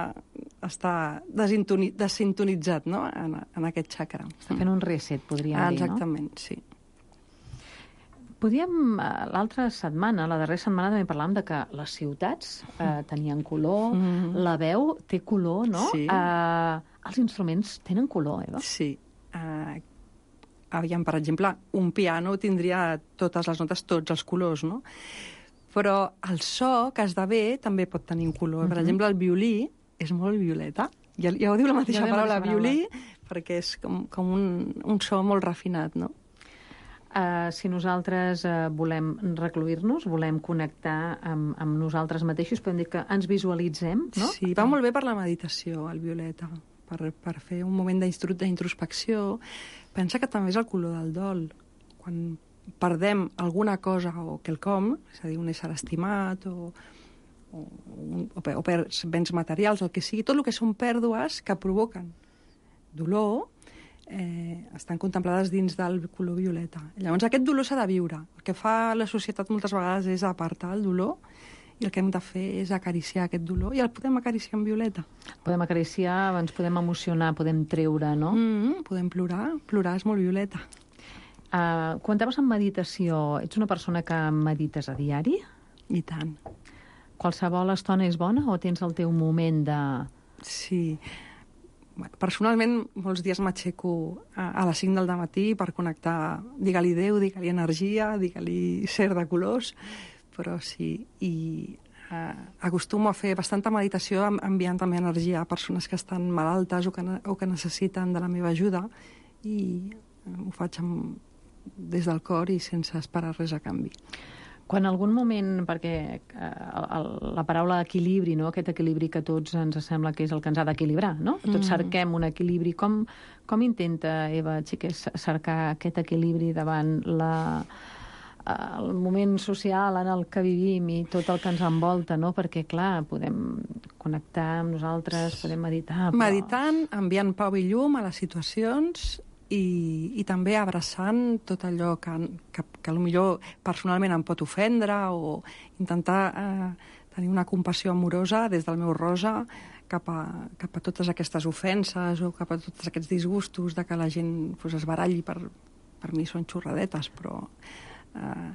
està desintonitzat, no? en, en aquest xacra. Està fent un reset, podríem ah, dir, no? Exactament, sí. Podíem, l'altra setmana, la darrera setmana, també parlàvem de que les ciutats eh, tenien color, mm. la veu té color, no? Sí. Eh, els instruments tenen color, Eva? Sí. Uh, aviam, per exemple, un piano tindria totes les notes, tots els colors, no? Però el so que esdevé també pot tenir un color. Mm-hmm. Per exemple, el violí és molt violeta. Ja, ja ho diu la mateixa ja paraula, violí, perquè és com, com un, un so molt refinat, no? Uh, si nosaltres uh, volem recluir-nos, volem connectar amb, amb nosaltres mateixos, podem dir que ens visualitzem, no? Sí, va molt bé per la meditació, el violeta, per, per fer un moment d'introspecció. Pensa que també és el color del dol. Quan perdem alguna cosa o quelcom, és a dir, un ésser estimat o, o, o, o per béns materials, el que sigui, tot el que són pèrdues que provoquen dolor, eh, estan contemplades dins del color violeta. Llavors, aquest dolor s'ha de viure. El que fa la societat moltes vegades és apartar el dolor i el que hem de fer és acariciar aquest dolor i el podem acariciar amb violeta. Podem acariciar, ens podem emocionar, podem treure, no? Mm, podem plorar. Plorar és molt violeta. Uh, comentaves en meditació. Ets una persona que medites a diari? I tant. Qualsevol estona és bona o tens el teu moment de... Sí. Personalment, molts dies m'aixeco a, a les cinc del matí per connectar, digue-li Déu, digue-li energia, digue-li ser de colors, però sí, i eh, acostumo a fer bastanta meditació enviant també energia a persones que estan malaltes o que, o que necessiten de la meva ajuda, i eh, ho faig amb, des del cor i sense esperar res a canvi. Quan en algun moment, perquè eh, el, la paraula equilibri, no? Aquest equilibri que a tots ens sembla que és el que ens ha d'equilibrar, no? Tots mm. cerquem un equilibri. Com, com intenta, Eva Xiquers, cercar aquest equilibri davant la, el moment social en el que vivim i tot el que ens envolta, no? Perquè, clar, podem connectar amb nosaltres, podem meditar... Però... Meditant, enviant pau i llum a les situacions... I, i també abraçant tot allò que, que, que potser personalment em pot ofendre, o intentar eh, tenir una compassió amorosa des del meu rosa cap a, cap a totes aquestes ofenses o cap a tots aquests disgustos de que la gent pues, es baralli. Per, per mi són xorradetes, però... Eh,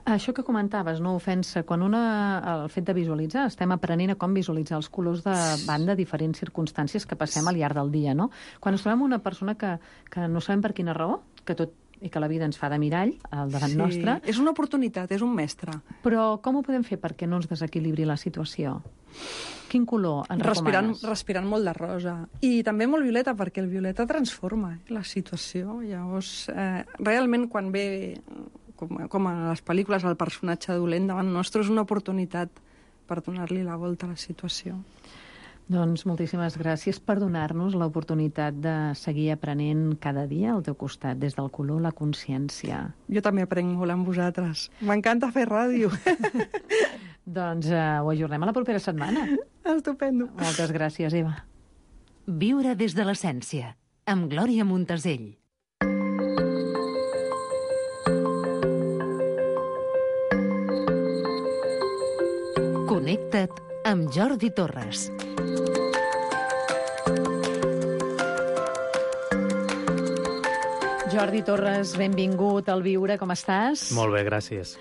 Això que comentaves, no, ofensa, quan una, el fet de visualitzar, estem aprenent a com visualitzar els colors davant de diferents circumstàncies que passem al llarg del dia, no? Quan ens trobem una persona que, que no sabem per quina raó, que tot i que la vida ens fa de mirall al davant nostre... És una oportunitat, és un mestre. Però com ho podem fer perquè no ens desequilibri la situació? Quin color ens respirant, recomanes? respirant molt de rosa. I també molt violeta, perquè el violeta transforma eh, la situació. Llavors, eh, realment, quan ve, com, com a les pel·lícules, el personatge dolent davant nostre, és una oportunitat per donar-li la volta a la situació. Doncs moltíssimes gràcies per donar-nos l'oportunitat de seguir aprenent cada dia al teu costat, des del color, la consciència. Jo també aprenc molt amb vosaltres. M'encanta fer ràdio. Doncs uh, ho ajornem a la propera setmana. Estupendo. Moltes gràcies, Eva. Viure des de l'essència, amb Glòria Montesell. Connecta't amb Jordi Torres. Jordi Torres, benvingut al Viure, com estàs? Molt bé, gràcies.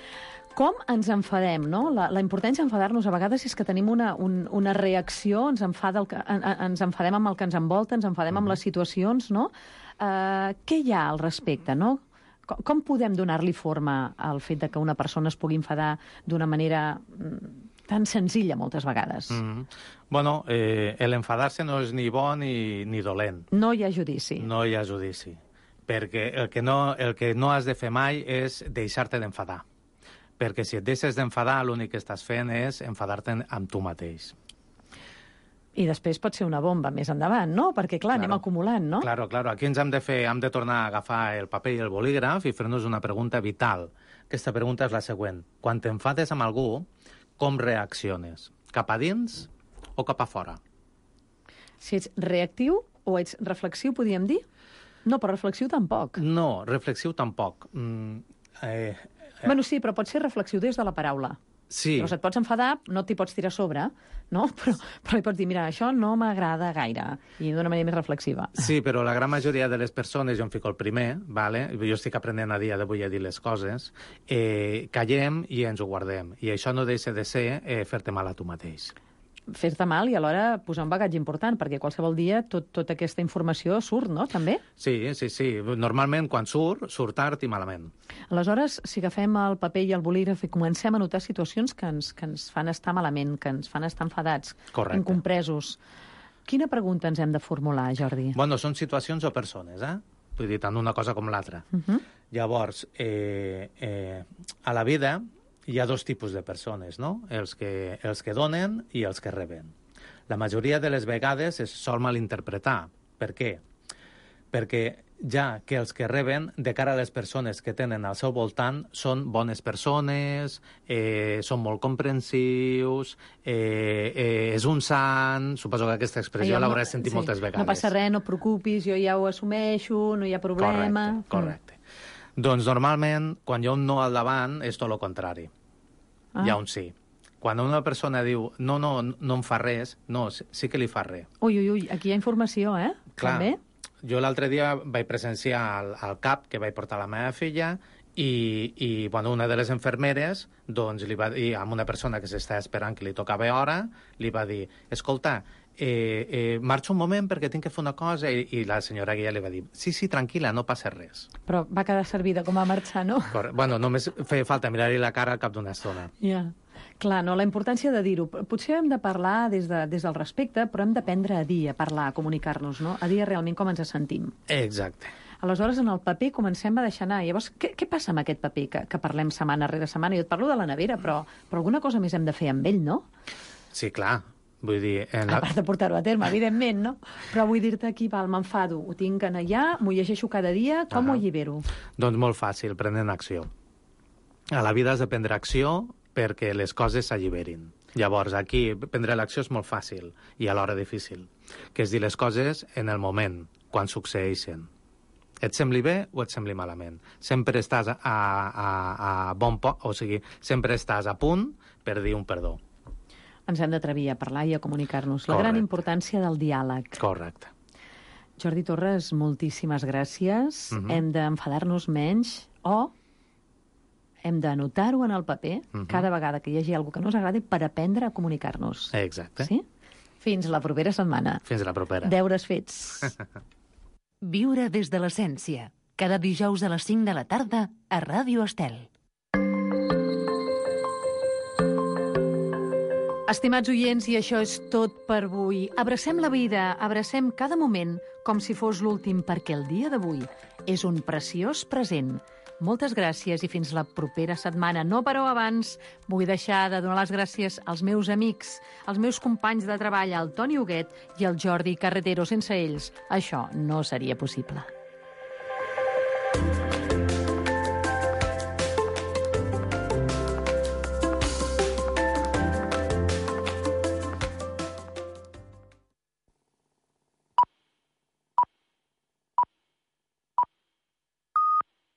Com ens enfadem, no? La, la importància d'enfadar-nos a vegades és que tenim una, un, una reacció, ens, enfada el que, en, ens enfadem amb el que ens envolta, ens enfadem amb les situacions, no? Uh, què hi ha al respecte, no? Com, com podem donar-li forma al fet de que una persona es pugui enfadar d'una manera tan senzilla moltes vegades? Mm-hmm. Bueno, eh, l'enfadar-se no és ni bo ni, ni dolent. No hi ha judici. No hi ha judici. Perquè el que no, el que no has de fer mai és deixar-te d'enfadar. Perquè si et deixes d'enfadar, l'únic que estàs fent és enfadar-te amb tu mateix. I després pot ser una bomba més endavant, no? Perquè, clar, claro. anem acumulant, no? Claro, claro. Aquí ens hem de fer, hem de tornar a agafar el paper i el bolígraf i fer-nos una pregunta vital. Aquesta pregunta és la següent. Quan t'enfades amb algú, com reacciones? Cap a dins o cap a fora? Si ets reactiu o ets reflexiu, podríem dir? No, però reflexiu tampoc. No, reflexiu tampoc. Mm, eh, eh. Bueno, sí, però pot ser reflexiu des de la paraula. Sí. Llavors et pots enfadar, no t'hi pots tirar a sobre, no? Però, però hi pots dir, mira, això no m'agrada gaire, i d'una manera més reflexiva. Sí, però la gran majoria de les persones, jo em fico el primer, vale? Jo estic aprenent a dia d'avui a dir les coses, eh, callem i ens ho guardem. I això no deixa de ser eh, fer-te mal a tu mateix. Fer-te mal i alhora posar un bagatge important, perquè qualsevol dia tot, tota aquesta informació surt, no?, també? Sí, sí, sí. Normalment, quan surt, surt tard i malament. Aleshores, si agafem el paper i el bolígraf i comencem a notar situacions que ens, que ens fan estar malament, que ens fan estar enfadats, correcte, incompresos, quina pregunta ens hem de formular, Jordi? Bueno, són situacions o persones, eh? Vull dir, tant una cosa com l'altra. Uh -huh. Llavors, eh, eh, a la vida hi ha dos tipus de persones, no? Els que, els que donen i els que reben. La majoria de les vegades es sol malinterpretar. Per què? Perquè ja que els que reben, de cara a les persones que tenen al seu voltant, són bones persones, eh, són molt comprensius, eh, eh, és un sant... Suposo que aquesta expressió Allò, l'hauràs sentit sí, moltes vegades. No passa res, no et preocupis, jo ja ho assumeixo, no hi ha problema... Correcte, correcte. Mm. Doncs normalment, quan hi ha un no al davant, és tot el contrari. Ah. Hi ha un sí. Quan una persona diu no, no, no em fa res, no, sí que li fa res. Ui, ui, ui, aquí hi ha informació, eh? Clar, també? Jo l'altre dia vaig presenciar al, al C A P que vaig portar la meva filla i, i bueno, una de les infermeres doncs, li va dir a una persona que s'està esperant que li tocava hora, li va dir, escolta, eh, eh, marxa un moment perquè tinc que fer una cosa, i, i la senyora Guilla li va dir, sí, sí, tranquil·la, no passa res. Però va quedar servida com a marxar, no? Correcte. Bueno, només feia falta mirar-li la cara al cap d'una estona. Ja. Yeah. Clar, no, la importància de dir-ho. Potser hem de parlar des, de, des del respecte, però hem d'aprendre a dir, a parlar, a comunicar-nos, no? A dir realment com ens sentim. Exacte. Aleshores, en el paper comencem a deixar anar. Llavors, què, què passa amb aquest paper que, que parlem setmana rere setmana? Jo et parlo de la nevera, però, però alguna cosa més hem de fer amb ell, no? Sí, clar. Vull dir... En la... A part de portar-ho a terme, evidentment, no? Però vull dir-te aquí, val, m'enfado, ho tinc en allà, m'ho llegeixo cada dia, com ah. ho allibero? Doncs molt fàcil, prenent acció. A la vida has de prendre acció perquè les coses s'alliberin. Llavors, aquí, prendre l'acció és molt fàcil i alhora difícil, que és dir les coses en el moment, quan succeeixen. Et sembli bé o et sembli malament. Sempre estàs a, a, a bon poc, o sigui, sempre estàs a punt per dir un perdó. Ens hem d'atrevir a parlar i a comunicar-nos. La Correcte. Gran importància del diàleg. Correcte. Jordi Torres, moltíssimes gràcies. Uh-huh. Hem d'enfadar-nos menys o hem d'anotar-ho en el paper uh-huh. cada vegada que hi hagi alguna que no ens agradi per aprendre a comunicar-nos. Exacte. Sí? Fins la propera setmana. Fins la propera. Deures fets. Viure des de l'essència. Cada dijous a les cinc de la tarda a Ràdio Estel. Estimats oients, i això és tot per avui. Abracem la vida, abracem cada moment com si fos l'últim, perquè el dia d'avui és un preciós present. Moltes gràcies i fins la propera setmana. No, però abans vull deixar de donar les gràcies als meus amics, als meus companys de treball, el Toni Huguet i el Jordi Carretero. Sense ells, això no seria possible.